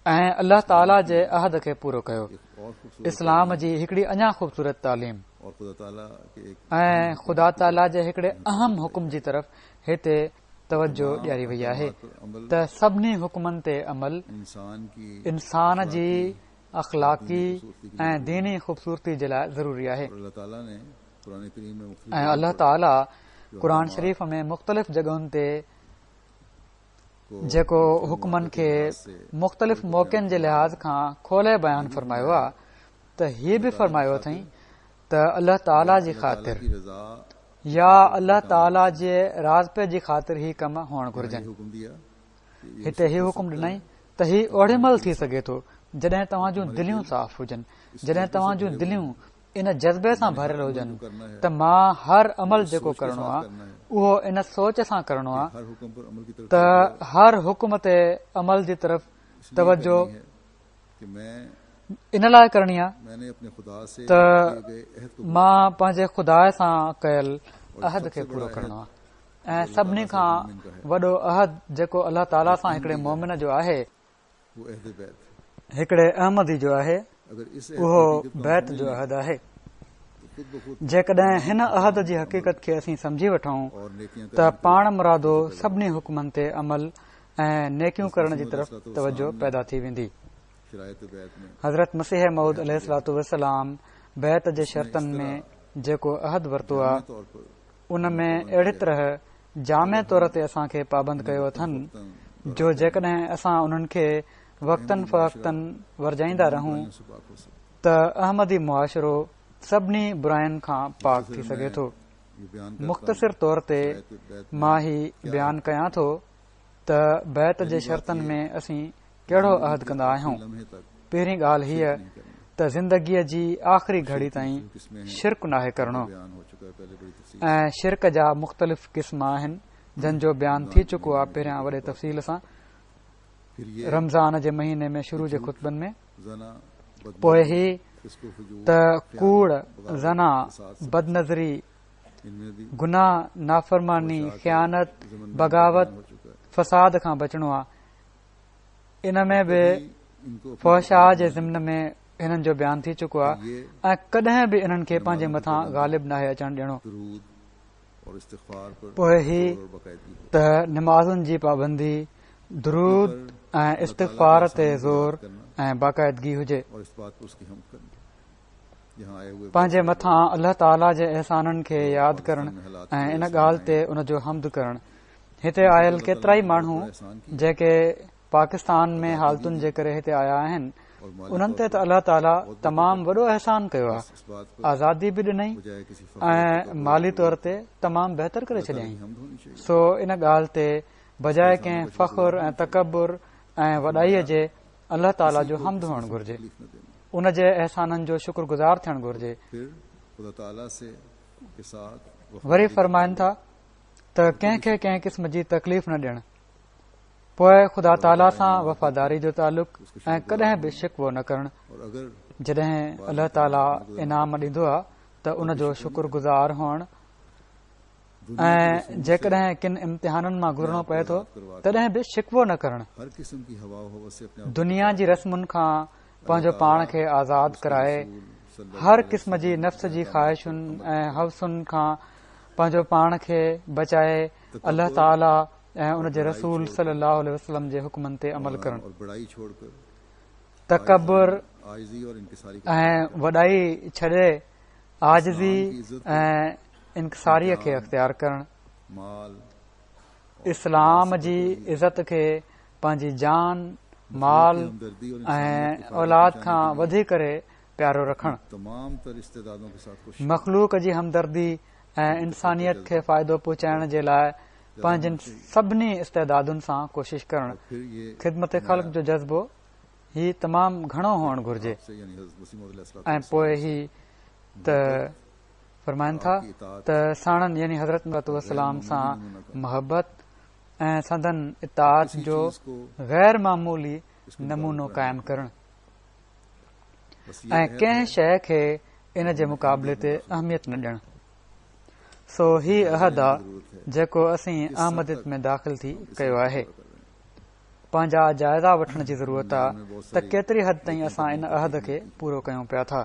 ۽ الله تعاليٰ جي عهد کي پورو ڪيو. اسلام جي هڪڙي اڃا خوبصورت تعليم ۽ خدا تعاليٰ جي هڪڙي اهم حڪم جي طرف هتي توجه ڏياري وئي آهي ته سڀني حڪمن تي عمل انسان جي اخلاقي ۽ ديني خوبصورتي جي لاء ضروري آهي. ۽ الله تعاليٰ قرآن شريف ۾ مختلف جڳهن تي جيڪو حڪمن کي مختلف موقعن جي لحاظ کان کولي بيان فرمايو آهي ته هي به فرمايو اٿئي ته الله تعاليٰ جي خاطر يا الله تعاليٰ جي راضپي جي خاطر هي ڪم هئڻ گهرجن. هتي هي حڪم ڏنائين ته هي اوڏي مهل ٿي سگهي ٿو جڏهن توهان جون دليون صاف هجن، جڏهن توهان جون دليون ان جذبي سان ڀريل هجن ته مان هر عمل جيڪو ڪرڻو آهي اهو ان سوچ سان ڪرڻو آهي ته هر حڪم تي عمل جي طرف توجه ان لاء ڪرڻي آهي ته مان پنهنجي خدا سان ڪيل عهد کي پورو ڪرڻو آهي. ۽ سڀني کان وڏو عهد جيڪو الله تعاليٰ سان هڪڙي مومن جو آهي، هڪڙي احمدي جو آهي، اهو بيعت جو عهد آهي. جيڪڏهن هن عهد جي حقيقت کي اسين سمجهي وٺون ته پاڻ مرادو سڀني حڪمن تي عمل ۽ نيڪيون ڪرڻ جي طرف توجه پيدا ٿي ويندي. حضرت مسيح موعود عليه الصلوة والسلام بيعت جي شرطن ۾ جيڪو عهد ورتو آهي ان ۾ اهڙي طرح جامع طور تي اسان کي پابند ڪيو اٿن جو جيڪڏهن اسان انهن کي وقتاً فوقتاً ورجائيندا رهون ته احمدي معاشرو سڀني براين کان پاڪ ٿي سگهي ٿو. مختصر طور تي مان هي بيان ڪيان ٿو ته بيعت جي شرطن ۾ اسين ڪهڙو عهد ڪندا آهيون. پهرين ڳالهه هيء ته زندگيء جي آخري گهڙي تائين شرڪ ناهي ڪرڻو ۽ شرڪ جا مختلف قسم آهن جن جو بيان ٿي چڪو آهي پهريان وڏي تفصيل سان. رمضان جي مهيني ۾ شروع جي خطبن ۾. پوء هي ته ڪوڙ، زنا، بدنظري، گناهه، نافرماني، خيانت، بغاوت، فساد کان بچڻو آهي. ان ۾ به فحشاء جي ضمن ۾ هنن جو بيان ٿي چڪو آهي ۽ ڪڏهن به انهن کي پنهنجي مٿان غالب ناهي اچڻ ڏيڻو. پوء هي ته نمازن جي پابندي، درود ۽ استغفار تي زور ۽ باقاعدگي هجي. پنهنجي مٿان الله تعاليٰ جي احسانن کي ياد ڪرڻ ۽ ان ڳالهه تي ان جو حمد ڪرڻ. هتي آيل ڪيترائي ماڻهو جيڪي پاڪستان ۾ حالتن جي ڪري هتي آيا آهن، انهن تي ته الله تعاليٰ تمام وڏو احسان ڪيو آهي، آزادي به ڏنائين ۽ مالي طور تي تمام بهتر ڪري ڇڏيائين. سو ان ڳالهه تي بجاءِ ڪنهن فخر ۽ تڪبر ۽ وڏائيءَ جي الله تعاليٰ جو حمد هئڻ گهرجي، ان جي احسانن جو شڪر گذار ٿيڻ گهرجي. وري فرمائن ٿا ته ڪنهن کي ڪنهن قسم جي تڪليف نه ڏيڻ، پوءِ خدا تعاليٰ سان وفاداري جو تعلق ۽ ڪڏهن به شڪوو نه ڪرڻ. جڏهن الله تعاليٰ انعام ڏيندو آهي ته ان جو شڪر گذار هئڻ، ۽ جيڪڏهن ڪن امتحانن مان گذرڻو پئي ٿو تڏهن به شڪوو نه ڪرڻ. دنيا جي رسمن کان پنهنجو پاڻ کي آزاد ڪرائي هر قسم جي نفس جي خواهشن ۽ حوسن کان پنهنجو پاڻ کي بچائي الله تعاليٰ ۽ ان جي رسول صلي الله عليه وسلم جي حڪمن تي عمل ڪرڻ. تڪبر ۽ وڏائي ڇڏي عاجزي ۽ انڪساريءَ کي اختيار ڪرڻ. اسلام جي عزت کي پنهنجي جان، مال ۽ اولاد کان وڌي ڪري پيارو رکڻ. مخلوق جي همدردي ۽ انسانيت کي فائدو پهچائڻ جي لاءِ پنهنجن سڀني استعدادن سان ڪوشش ڪرڻ. خدمت خلق جو جذبو هي تمام گهڻو هئڻ گهرجي. ۽ پوءِ هي ته فرمائن ٿا ته ساڻن يعني حضرت والسلام سان محبت ۽ سندن اطاعت جو غير معمولي نمونو قائم ڪرڻ ۽ ڪنهن شيءِ کي ان جي مقابلي تي اهميت نه ڏيڻ. سو هي عهد آ جيڪو اسين احمديت ۾ داخل ٿي ڪيو آهي. پنهنجا جائزا وٺڻ جي ضرورت آ ته ڪيتري حد تائين اسان ان عهد کي پورو ڪيون پيا ٿا.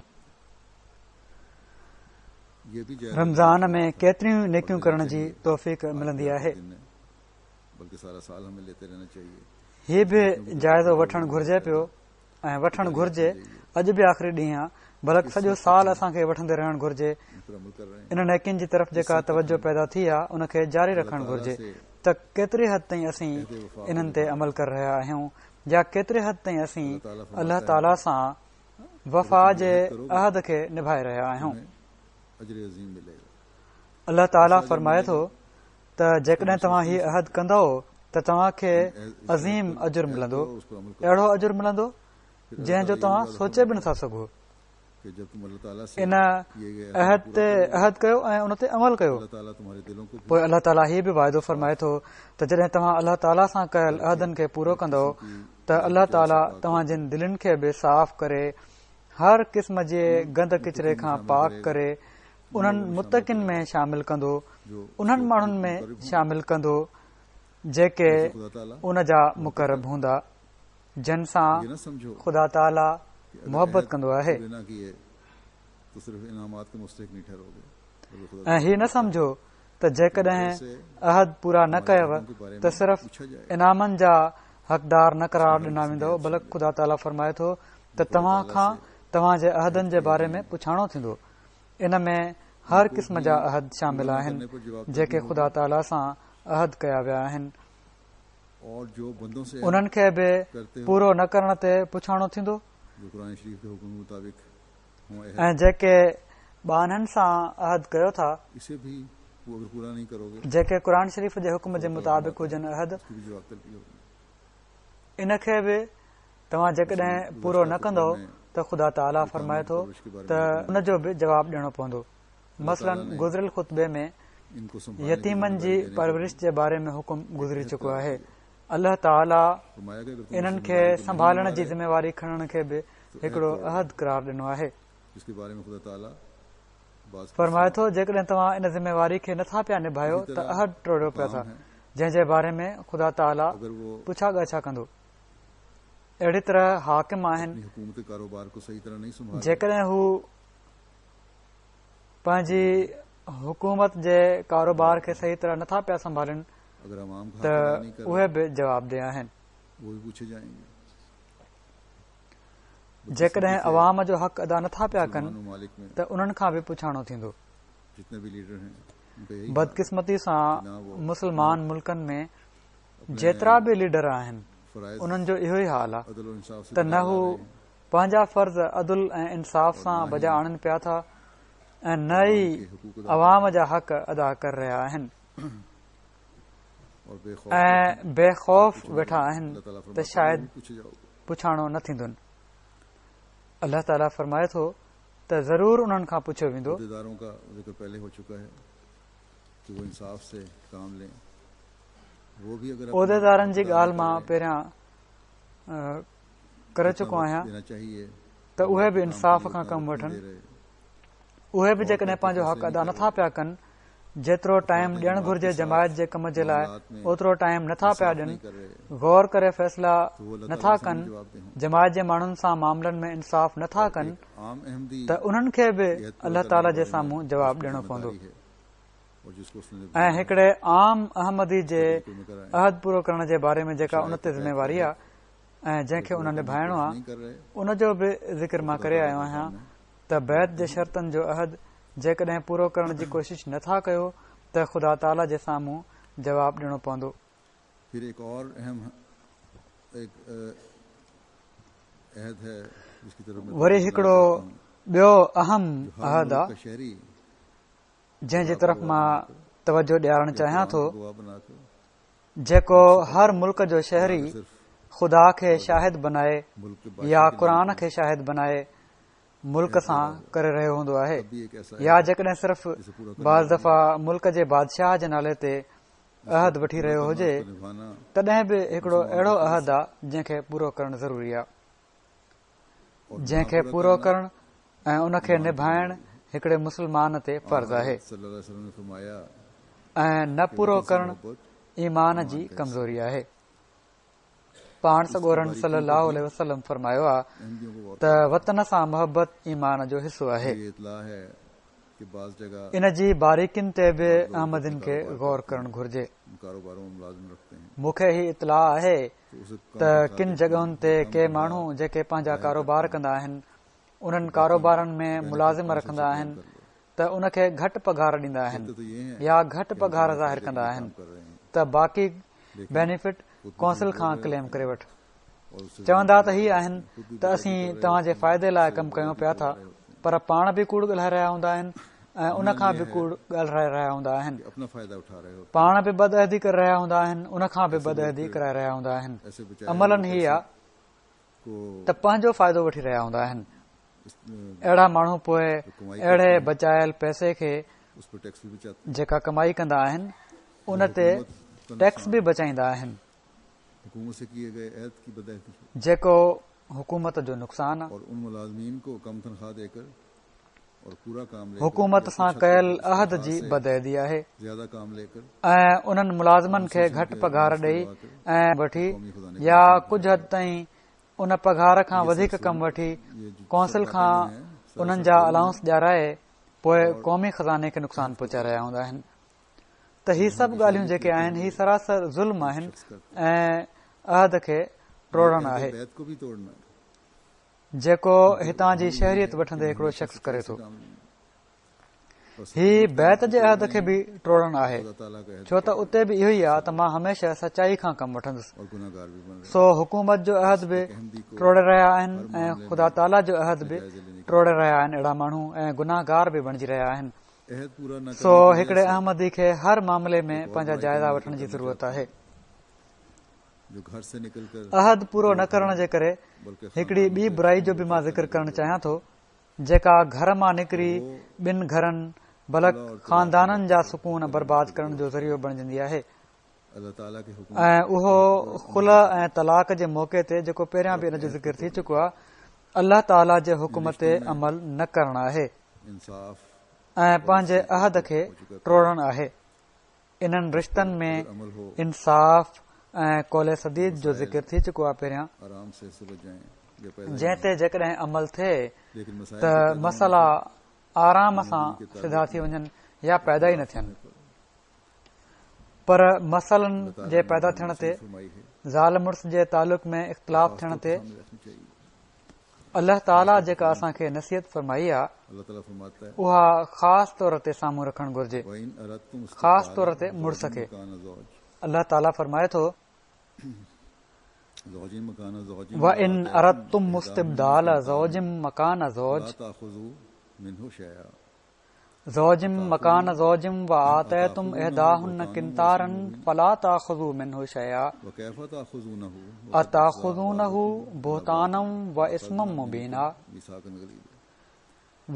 رمضان ۾ ڪيتريون نيڪيون ڪرڻ جي توفيق ملندي آهي. هي به جائزو وٺڻ گهرجي پيو ۽ وٺڻ گهرجي. اڄ به آخري ڏينهن آ، بلڪ سڄو سال اسان کي وٺندي رهڻ گهرجي. ان نيڪين جي طرف جيڪا توجه پيدا ٿي آ ان کي جاري رکڻ گهرجي ته ڪيتري حد تائين اسين انهن تي عمل ڪري رهيا آهيون يا ڪيتري حد تائين اسين الله تعاليٰ سان وفا جي عهد کي نڀائي رهيا آهيون. الله تعاليٰ فرمائي ٿو ته جيڪڏهن توهان هي عهد ڪندؤ ته توهان کي عظيم اجر ملندو، اهڙو اجر ملندو جنهن جو توهان سوچي به نٿا سگهو. ان عهد تي عهد ڪيو ۽ ان تي عمل ڪيو. پوءِ الله تعاليٰ هي به واعدو فرمائي ٿو ته جڏهن توهان الله تعاليٰ سان ڪيل عهدن کي پورو ڪندؤ ته الله تعاليٰ توهان جن دلين کي به صاف ڪري هر قسم جي گند ڪچري کان پاڪ ڪري انهن متقين ۾ شامل ڪندو، انهن ماڻهن ۾ شامل ڪندو جيڪي ان جا مقرب هوندا، جن سان خدا تعاليٰ محبت ڪندو آهي. ۽ هي نه سمجهو ته جيڪڏهن عهد پورا نه ڪيو ته صرف انعامن جا حقدار نه قرار ڏنا ويندؤ، بلڪ خدا تعاليٰ فرمائي ٿو ته توهان کان توهان جي عهدن جي باري ۾ پڇاڻو ٿيندو. ان ۾ هر قسم جا عهد شامل آهن جيڪي خدا تعاليٰ سان عهد ڪيا ويا آهن، انهن کي به پورو نه ڪرڻ تي پڇاڻو ٿيندو. ۽ جيڪي ٻانهن سان عهد ڪيو ٿا، جيڪي قرآن شريف جي حڪم جي مطابق هجن عهد، ان کي به توهان جيڪڏهن پورو نه ڪندؤ ته خدا تعاليٰ فرمائي ٿو ته ان جو به جواب ڏيڻو پوندو. مثلاً گذريل خطبي ۾ يتيمن جي پرورش جي باري ۾ حڪم گذري چڪو آهي. الله تعاليٰ انهن کي سنڀالڻ جي ذميواري کڻڻ کي به هڪڙو عهد قرار ڏنو آهي. فرمائي ٿو جيڪڏهن توهان ان ذميواري کي نٿا پيا نڀايو ته عهد ٽوڙيو پيا ٿا، جنهن جي باري ۾ خدا تعاليٰ پڇا ڳاڇا ڪندو. اهڙي طرح حاڪم آهن، جيڪڏهن هو پنهنجي حڪومت جي ڪاروبار کي صحيح طرح نٿا پيا سنڀالين ته اهي به جوابده آهن. جيڪڏهن عوام جو حق ادا نٿا پيا ڪن ته انهن کان به پڇاڻو ٿيندو. بدقسمتي سان مسلمان ملڪن ۾ جيترا به ليڊر آهن انهن جو اهو ئي حال آهي ته نه هو پنهنجا فرض عدل ۽ انصاف سان بجا آڻن پيا ٿا ۽ نه ئي عوام جا حق ادا ڪري رهيا آهن ۽ بي خوف ويٺا آهن ته شايد پڇاڻو نه ٿيندن. الله تعاليٰ فرمائي ٿو ته ضرور انهن کان پڇيو ويندو. عهديدارن جي ڳالهه مان پهريان ڪري چڪو آهيان ته اهي به انصاف کان ڪم وٺن. اهي به جيڪڏهن پنهنجو حق ادا نٿا پيا ڪن، جيترو ٽائيم ڏيڻ گهرجي جماعت جي ڪم جي لاء اوترو ٽائيم نٿا پيا ڏين، غور ڪري فيصلا نٿا ڪن، جماعت جي ماڻهن سان معاملن ۾ انصاف نٿا ڪن ته انهن کي به الله تعاليٰ جي سامهون جواب ڏيڻو پوندو. ۽ هڪڙي عام احمدي جي عهد پورو ڪرڻ جي باري ۾ جيڪا ان تي ذميواري آهي ۽ جنهن کي ان نڀائڻو آهي ان جو به ذڪر مان ڪري آيو آهيان ته بيعت جي شرطن جو عهد جيڪڏهن پورو ڪرڻ جي ڪوشش نٿا ڪيو ته خدا تعاليٰ جي سامهون جواب ڏيڻو پوندو. وري هڪڙو ٻيو اهم عهد آ جنهن جي طرف مان توجه ڏيارڻ چاهيان ٿو، جيڪو هر ملڪ جو شهري خدا کي شاهد بنائي يا قرآن کي شاهد بنائي ملڪ سان ڪري رهيو هوندو آهي، يا جيڪڏهن صرف بعض دفعا ملڪ جي بادشاهه جي نالي تي عهد وٺي رهيو هجي تڏهن به هڪڙو اهڙو عهد آ جنهن کي پورو ڪرڻ ضروري آ، جنهن کي پورو ڪرڻ ۽ ان کي نڀائڻ هڪڙي مسلمان تي فرض آهي ۽ نه پورو ڪرڻ ايمان جي ڪمزوري آهي. پاڻ سڳورن صلي الله عليه وسلم فرمايو آ ته وطن سان محبت ايمان جو حصو آهي. ان جي باريڪين تي به احمدين کي غور ڪرڻ گهرجي. مون کي هي اطلاع آهي ته ڪن جڳهن تي ڪي ماڻهو جيڪي پنهنجا ڪاروبار ڪندا آهن انهن ڪاروبارن ۾ ملازم رکندا آهن ته ان کي گهٽ پگهار ڏيندا آهن يا گهٽ پگهار ظاهر ڪندا آهن ته باقي بينيفٽ ڪونسل کان ڪليم ڪري وٺ. چوندا ته هي آهن ته اسين توهان جي فائدي لاء ڪم ڪيون پيا ٿا، پر پاڻ به ڪوڙ ڳالهائي رهيا هوندا آهن ۽ ان کان به ڪوڙ ڳالهائي رهيا هوندا آهن. پاڻ به بدعهدي ڪري رهيا هوندا آهن، ان کان به بدعهدي ڪرائي رهيا هوندا آهن. عملاً هي آ ته پنهنجو فائدو وٺي رهيا هوندا آهن. اهڙا ماڻهو پوء اهڙي بچايل پئسي کي جيڪا ڪمائي ڪندا آهن ان تي ٽيڪس به بچائيندا آهن، جيڪو حڪومت جو نقصان آ. حڪومت سان ڪيل عهد جي بدعهدي آهي ۽ انهن ملازمن کي گهٽ پگهار ڏئي ۽ وٺي يا ڪجهه حد تائين ان پگهار کان وڌيڪ ڪم وٺي ڪونسل کان انهن جا الائونس ڏيارائي پوء قومي خزاني کي نقصان پهچائي رهيا هوندا آهن. ته هي سڀ ڳالهيون جيڪي آهن هي سراسر ظلم آهن ۽ عهد کي ٽوڙڻ آهي، جيڪو هتان جي شهريت وٺندي هڪڙو شخص ڪري ٿو. هي بيعت جي عهد کي به ٽوڙڻ آهي، ڇو ته اتي به اهو ئي آهي ته مان هميشه سچائي کان ڪم وٺندس. سو حڪومت جو عهد به ٽوڙي رهيا آهن ۽ خدا تعاليٰ جو عهد به ٽوڙي رهيا آهن اهڙا ماڻهو ۽ گناهگار به بڻجي رهيا آهن. سو هڪڙي احمدي کي هر معاملي ۾ پنهنجا جائزا وٺڻ جي ضرورت آهي. عهد پورو نه ڪرڻ جي ڪري هڪڙي ٻي برائي جو به مان ذڪر ڪرڻ چاهيان ٿو، جيڪا گهر مان نڪري ٻن گهرن بلڪ خاندانن جا سڪون برباد ڪرڻ جو ذريعو بڻجندي آهي. ۽ اهو خلع ۽ طلاق جي موقعي تي جيڪو پهريان به ان جو ذڪر ٿي چڪو آهي، الله تعاليٰ جي حڪم تي عمل نه ڪرڻ آهي ۽ پنهنجي عهد کي ٽوڙڻ آهي. انهن رشتن ۾ انصاف ۽ قول سديد جو ذڪر ٿي چڪو آهي پهريان، جنهن تي جيڪڏهن عمل ٿئي ته مسئلا آرام سان سڌا ٿي وڃن يا پيدا ئي نه ٿين. پر مسئلن جي پيدا ٿيڻ تي، زال مڙس جي تعلق ۾ اختلاف ٿيڻ تي الله تعاليٰ جيڪا اسان کي نصيحت فرمائي آهي اها خاص طور تي سامهون رکڻ گهرجي، خاص طور تي مڙس کي. الله تعاليٰ فرمائي ٿو، وَإِنْ أَرَدْتُمْ اسْتِبْدَالَ زَوْجٍ مَّكَانَ زَوْجٍ زوج مکان زوج وآتيتم احداهن قنطارا فلا تاخذوا منه شيئا اتاخذونه بهتانا واثما مبينا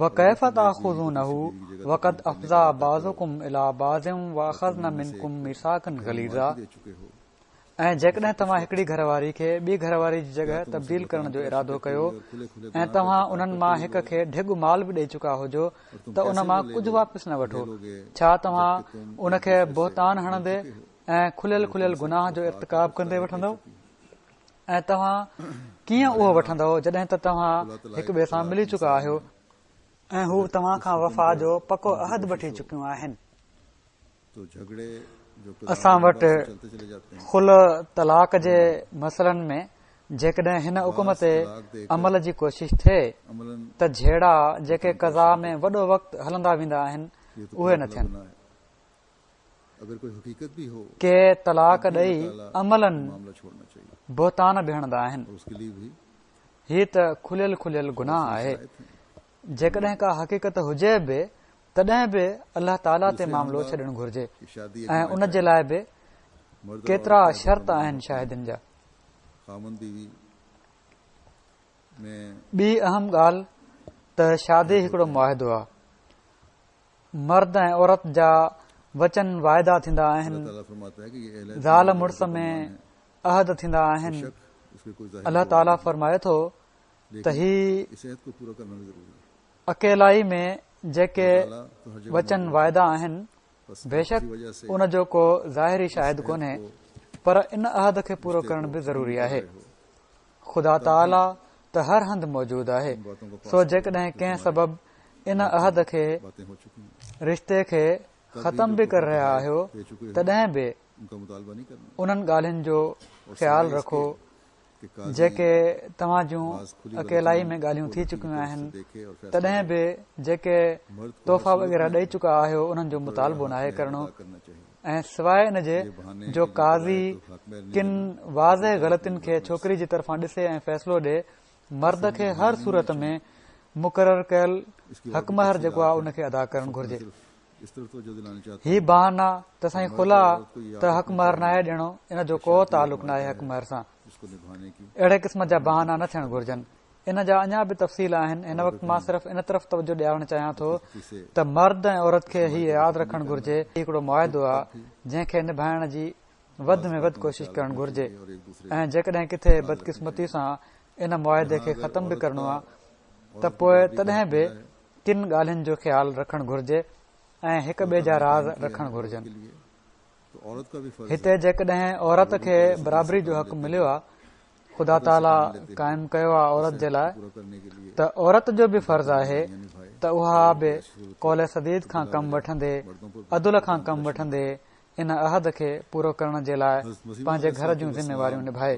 وڪيف تاخذونه وقد افضي بعضڪم الي بعض واخذن منڪم ميثاقا غليظا. ۽ جيڪڏهن توهان هڪڙي گهر واري کي ٻي گهر واري جي جڳهه تبديل ڪرڻ جو ارادو ڪيو ۽ توهان انهن مان هڪ کي ڍڳ مال به ڏئي چڪا هجو ته ان مان ڪجهه واپس نه وٺو. ڇا توهان ان کي بهتان هڻندي ۽ کليل کليل گناهه جو ارتڪاب ڪندي وٺندؤ؟ ۽ توهان ڪيئن اهو وٺندؤ جڏهن ته توهان هڪ ٻئي سان ملي چڪا آهيو ۽ هو توهان کان وفا جو پڪو عهد وٺي چڪيون آهن. اسان وٽ خلع طلاق جي مسئلن ۾ جيڪڏهن هن حڪم تي عمل جي ڪوشش ٿئي ته جهيڙا جيڪي قضا ۾ وڏو وقت هلندا ويندا آهن اهي نه ٿين. ڪي طلاق ڏئي عملاً بهتان به هڻندا آهن. هي ته کليل کليل گناهه آهي. جيڪڏهن ڪا حقيقت هجي به تڏهن به الله تعاليٰ تي معاملو ڇڏڻ گهرجي ۽ ان جي لاء به ڪيترا شرط آهن شاهدين جا. ٻي اهم ڳالهه ته شادي هڪڙو معاهدو آهي. مرد ۽ عورت جا وچن واعدا ٿيندا آهن، زال مڙس ۾ عهد ٿيندا آهن. الله تعاليٰ فرمائي ٿو ته هي اڪيلائي ۾ جيڪي وچن واعدا آهن بيشڪ ان جو ڪو ظاهري شاهد ڪونهي، پر ان عهد کي پورو ڪرڻ به ضروري آهي. خدا تعاليٰ ته هر هنڌ موجود آهي، سو جيڪڏهن ڪنهن سبب ان عهد کي، رشتي کي ختم به ڪري رهيا آهيو تڏهن به انهن ڳالهين جو خيال رکو جيڪي توهان جون اڪيلائي ۾ ڳالهيون ٿي چڪيون آهن، تڏهن به جيڪي تحفا وغيره ڏئي چڪا آهيو انهن جو مطالبو ناهي ڪرڻو. ۽ سواءِ ان جي جو قاضي ڪن واضح غلطين کي ڇوڪري جي طرفان ڏسي ۽ فيصلو ڏئي، مرد کي هر صورت ۾ مقرر ڪيل حق مهر جيڪو آهي ان کي ادا ڪرڻ گهرجي. هي بهانا ته سائين خلع ته حق مهر ناهي ڏيڻو، ان جو ڪو تعلق ناهي حق مهر سان. اهڙي قسم جا بهانا نه ٿيڻ گهرجن. ان جا اڃا به تفصيل آهن. هن وقت مان صرف ان طرف توجه ڏيارڻ چاهيان ٿو ته مرد ۽ عورت کي هي ياد رکڻ گهرجي، هي هڪڙو معاهدو آهي جنهن کي نڀائڻ جي وڌ ۾ وڌ ڪوشش ڪرڻ گهرجي ۽ جيڪڏهن ڪٿي بدقسمتي سان ان معاهدي کي ختم به ڪرڻو آهي ته پوءِ تڏهن به ڪن ڳالهين جو خيال رکڻ گهرجي ۽ هڪ ٻئي جا راز رکڻ گهرجن. هتي جيڪڏهن عورت کي برابري جو حق مليو آهي، خدا تعاليٰ قائم ڪيو آهي عورت جي لاءِ، ته عورت جو به فرض آهي ته اها به قول سديد کان ڪم وٺندي، عدل کان ڪم وٺندي ان عهد کي پورو ڪرڻ جي لاءِ پنهنجي گهر جون ذميواريون نڀائي.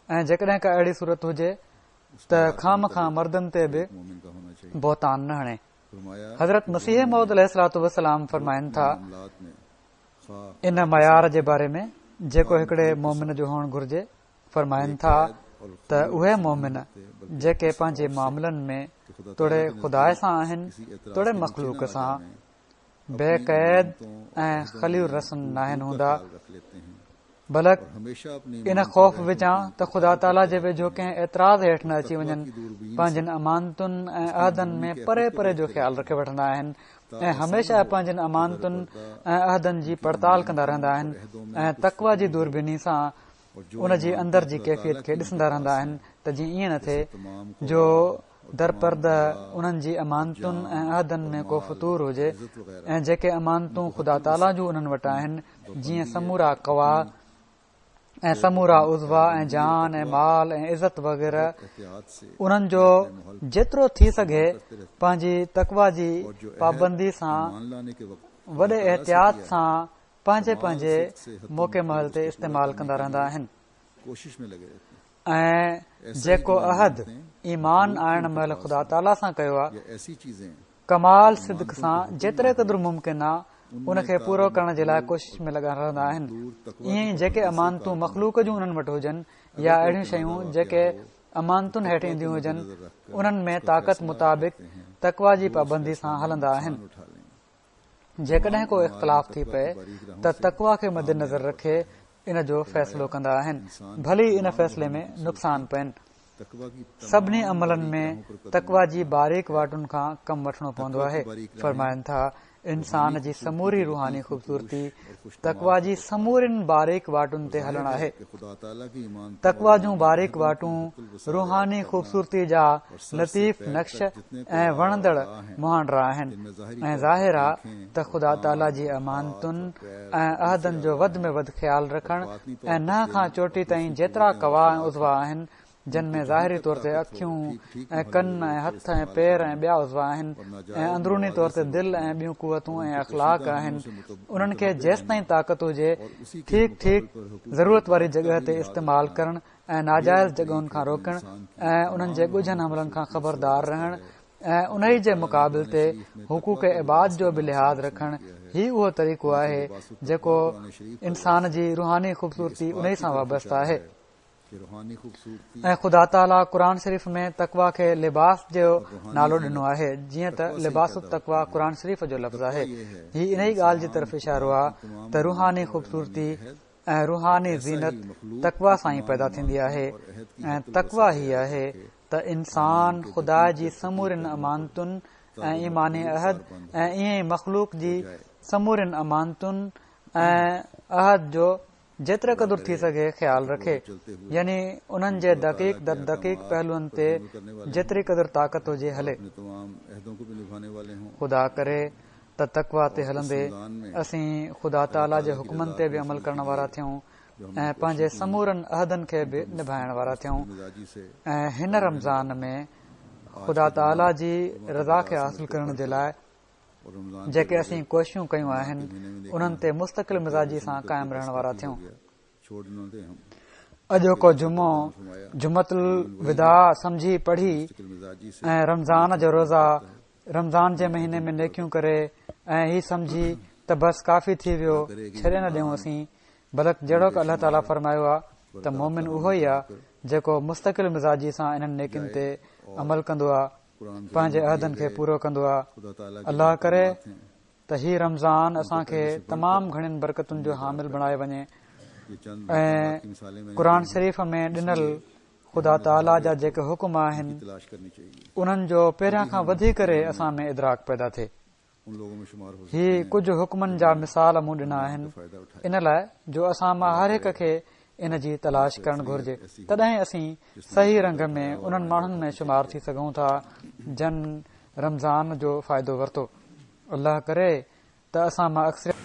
۽ جيڪڏهن ڪا اهڙي صورت هجي ته خوامخواه مردن تي به بهتان نه هڻي. حضرت مسيح موعود عليه الصلوة والسلام فرمائن ٿا ان معيار جي باري ۾ جيڪو هڪڙي مومن جو هئڻ گهرجي، فرمائن ٿا ته اهي مومن جيڪي پنهنجي معاملن ۾ توڙي خدا سان آهن توڙي مخلوق سان بي قيد ۽ خلي الرسن ناهن هوندا، بلڪ ان خوف وچان ته خدا تعاليٰ جي ويجهو ڪنهن اعتراض هيٺ نه اچي وڃن، پنهنجن امانتن ۽ عهدن ۾ پري پري جو خيال رکي وٺندا آهن ۽ هميشه پنهنجن امانتن ۽ عهدن جي پڙتال ڪندا رهندا آهن ۽ تقويٰ جي دوربيني سان ان جي اندر جي ڪيفيت کي ڏسندا رهندا آهن ته جيئن ائين نه ٿئي جو درپرده انهن جي امانتن ۽ عهدن ۾ ڪو فتور هجي ۽ جيڪي امانتون خدا تعاليٰ جون انهن وٽ آهن، جيئن سمورا قوا ۽ سمورا عضوا ۽ جان ۽ مال ۽ عزت وغيره، انهن جو جيترو ٿي سگهي پنهنجي تقويٰ جي پابندي سان وڏي احتياط سان پنهنجي پنهنجي موقعي محل تي استعمال ڪندا رهندا آهن. ۽ جيڪو عهد ايمان آڻڻ مهل خدا تعاليٰ سان ڪيو آهي، ڪمال صدق سان جيتري قدر ممڪن آهي ان کي پورو ڪرڻ جي لاء ڪوشش ۾ لڳا رهندا آهن. ائين ئي جيڪي امانتون مخلوق جون انهن وٽ هجن يا اهڙيون شيون جيڪي امانتن هيٺ اينديون هجن، انهن ۾ طاقت مطابق تقويٰ جي پابندي سان هلندا آهن. جيڪڏهن ڪو اختلاف ٿي پئي ته تقويٰ کي مدنظر رکي ان جو فيصلو ڪندا آهن، ڀلي ان فيصلي ۾ نقصان پين. سڀني عملن ۾ تقويٰ جي باريڪ واٽن کان ڪم وٺڻو پوندو آهي. فرمائن ٿا، انسان جي سموري روحاني خوبصورتي تقويٰ جي سمورين باريڪ واٽن تي هلڻ آهي. تقويٰ جون باريڪ واٽون روحاني خوبصورتي جا لطيف نقش ۽ وڻندڙ مهانڊا آهن ۽ ظاهر آ ته خدا تعاليٰ جي امانتن ۽ عهدن جو وڌ ۾ وڌ خيال رکڻ ۽ ننهن کان چوٽي تائين جيترا قوا ۽ عضوا آهن، جن ۾ ظاهري طور تي اکيون ۽ ڪن ۽ هٿ ۽ پير ۽ ٻيا عضوا آهن ۽ اندروني طور تي دل ۽ ٻيون قوتون ۽ اخلاق آهن، انهن کي جيستائين طاقت هجي ٺيڪ ٺيڪ ضرورت واري جڳهه تي استعمال ڪرڻ ۽ ناجائز جڳهن کان روڪڻ ۽ انهن جي ڳجهن حملن کان خبردار رهڻ ۽ انهي جي مقابل تي حقوق عباد جو به لحاظ رکڻ، هي اهو طريقو آهي جيڪو انسان جي روحاني خوبصورتي انهي سان وابسته آهي. ۽ خدا تعاليٰ قرآن شريف ۾ تقويٰ کي لباس جو نالو ڏنو آهي، جيئن ته لباس التقويٰ قرآن شريف جو لفظ آهي. هي انهي ڳالهه جي طرف اشارو آهي ته روحاني خوبصورتي ۽ روحاني زينت تقويٰ سان ئي پيدا ٿيندي آهي ۽ تقويٰ هي آهي ته انسان خدا جي سمورين امانتن ۽ ايماني عهد ۽ ائين ئي مخلوق جي سمورين امانتن ۽ عهد جو جيتري قدر ٿي سگهي خيال رکي، يعني انهن جي دقيق در دقيق پهلوئن تي جيتري قدر طاقت هجي هلي. خدا ڪري ته تقويٰ تي هلندي اسين خدا تعاليٰ جي حڪمن تي به عمل ڪرڻ وارا ٿيون ۽ پنهنجي سمورن عهدن کي به نڀائڻ وارا ٿيون ۽ هن رمضان ۾ خدا تعاليٰ جي رضا کي حاصل ڪرڻ جي لاء جيڪي اسين ڪوششون ڪيون آهن، انهن تي مستقل مزاجي سان قائم رهڻ وارا ٿيون. اڄوڪو جمعو جمعة الوداع سمجهي پڙهي ۽ رمضان جو روزا رمضان جي مهيني ۾ نيڪيون ڪري ۽ هي سمجهي ته بس ڪافي ٿي ويو ڇڏي نه ڏيون اسين، بلڪ جهڙوڪ الله تعاليٰ فرمايو آهي ته مومن اهو ئي آهي جيڪو مستقل مزاجي سان انهن نيڪين تي عمل ڪندو آهي، پنهنجي عهدن کي پورو ڪندو آهي. الله ڪري ته هي رمضان اسان کي تمام گهڻين برڪتن جو حامل بڻائي وڃي ۽ قرآن شريف ۾ ڏنل خدا تعاليٰ جا جيڪي حڪم آهن انهن جو پهريان کان وڌي ڪري اسان ۾ ادراڪ پيدا ٿئي. هي ڪجهه حڪمن جا مثال مون ڏنا آهن ان لاء جو اسان مان هر هڪ کي ان جي تلاش ڪرڻ گهرجي، تڏهن اسين صحيح رنگ ۾ انهن ماڻهن ۾ شمار ٿي سگهون ٿا جن رمضان جو فائدو ورتو. الله ڪري ته اسان مان اڪثريت.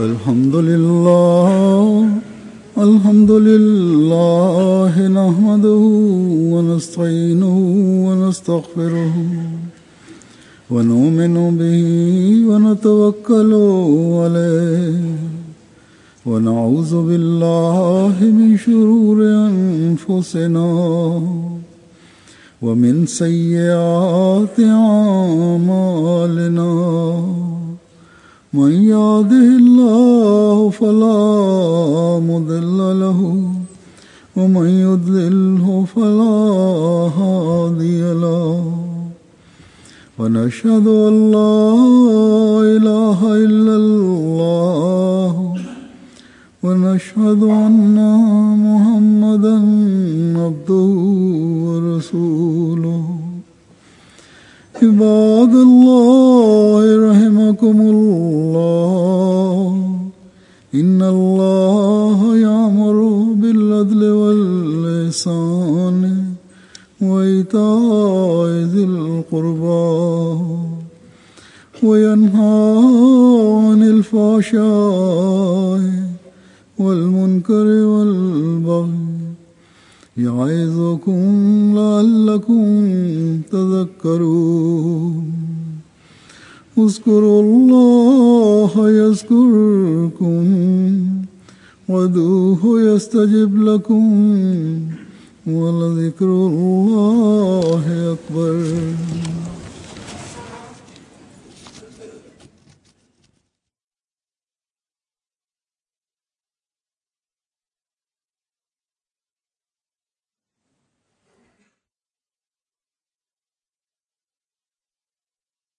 الحمد لله الحمد لله نحمده ونستعينه ونستغفره ونؤمن به ونتوكل عليه ونعوذ بالله من شرور أنفسنا ومن سيئات أعمالنا من يهده الله فلا مضل له ومن يضلله فلا هادي له ونشهد أن لا إله إلا الله ونشهد أن محمدا عبده ورسوله. عباد الله رحمكم الله، إن الله يأمر بالعدل والإحسان وإيتاء ذي القربى وينهى عن الفحشاء والمنكر والبغي يعظكم لعلكم تذكرون. اذكروا الله يذكركم وادعوه يستجب لكم ولذكر الله أكبر.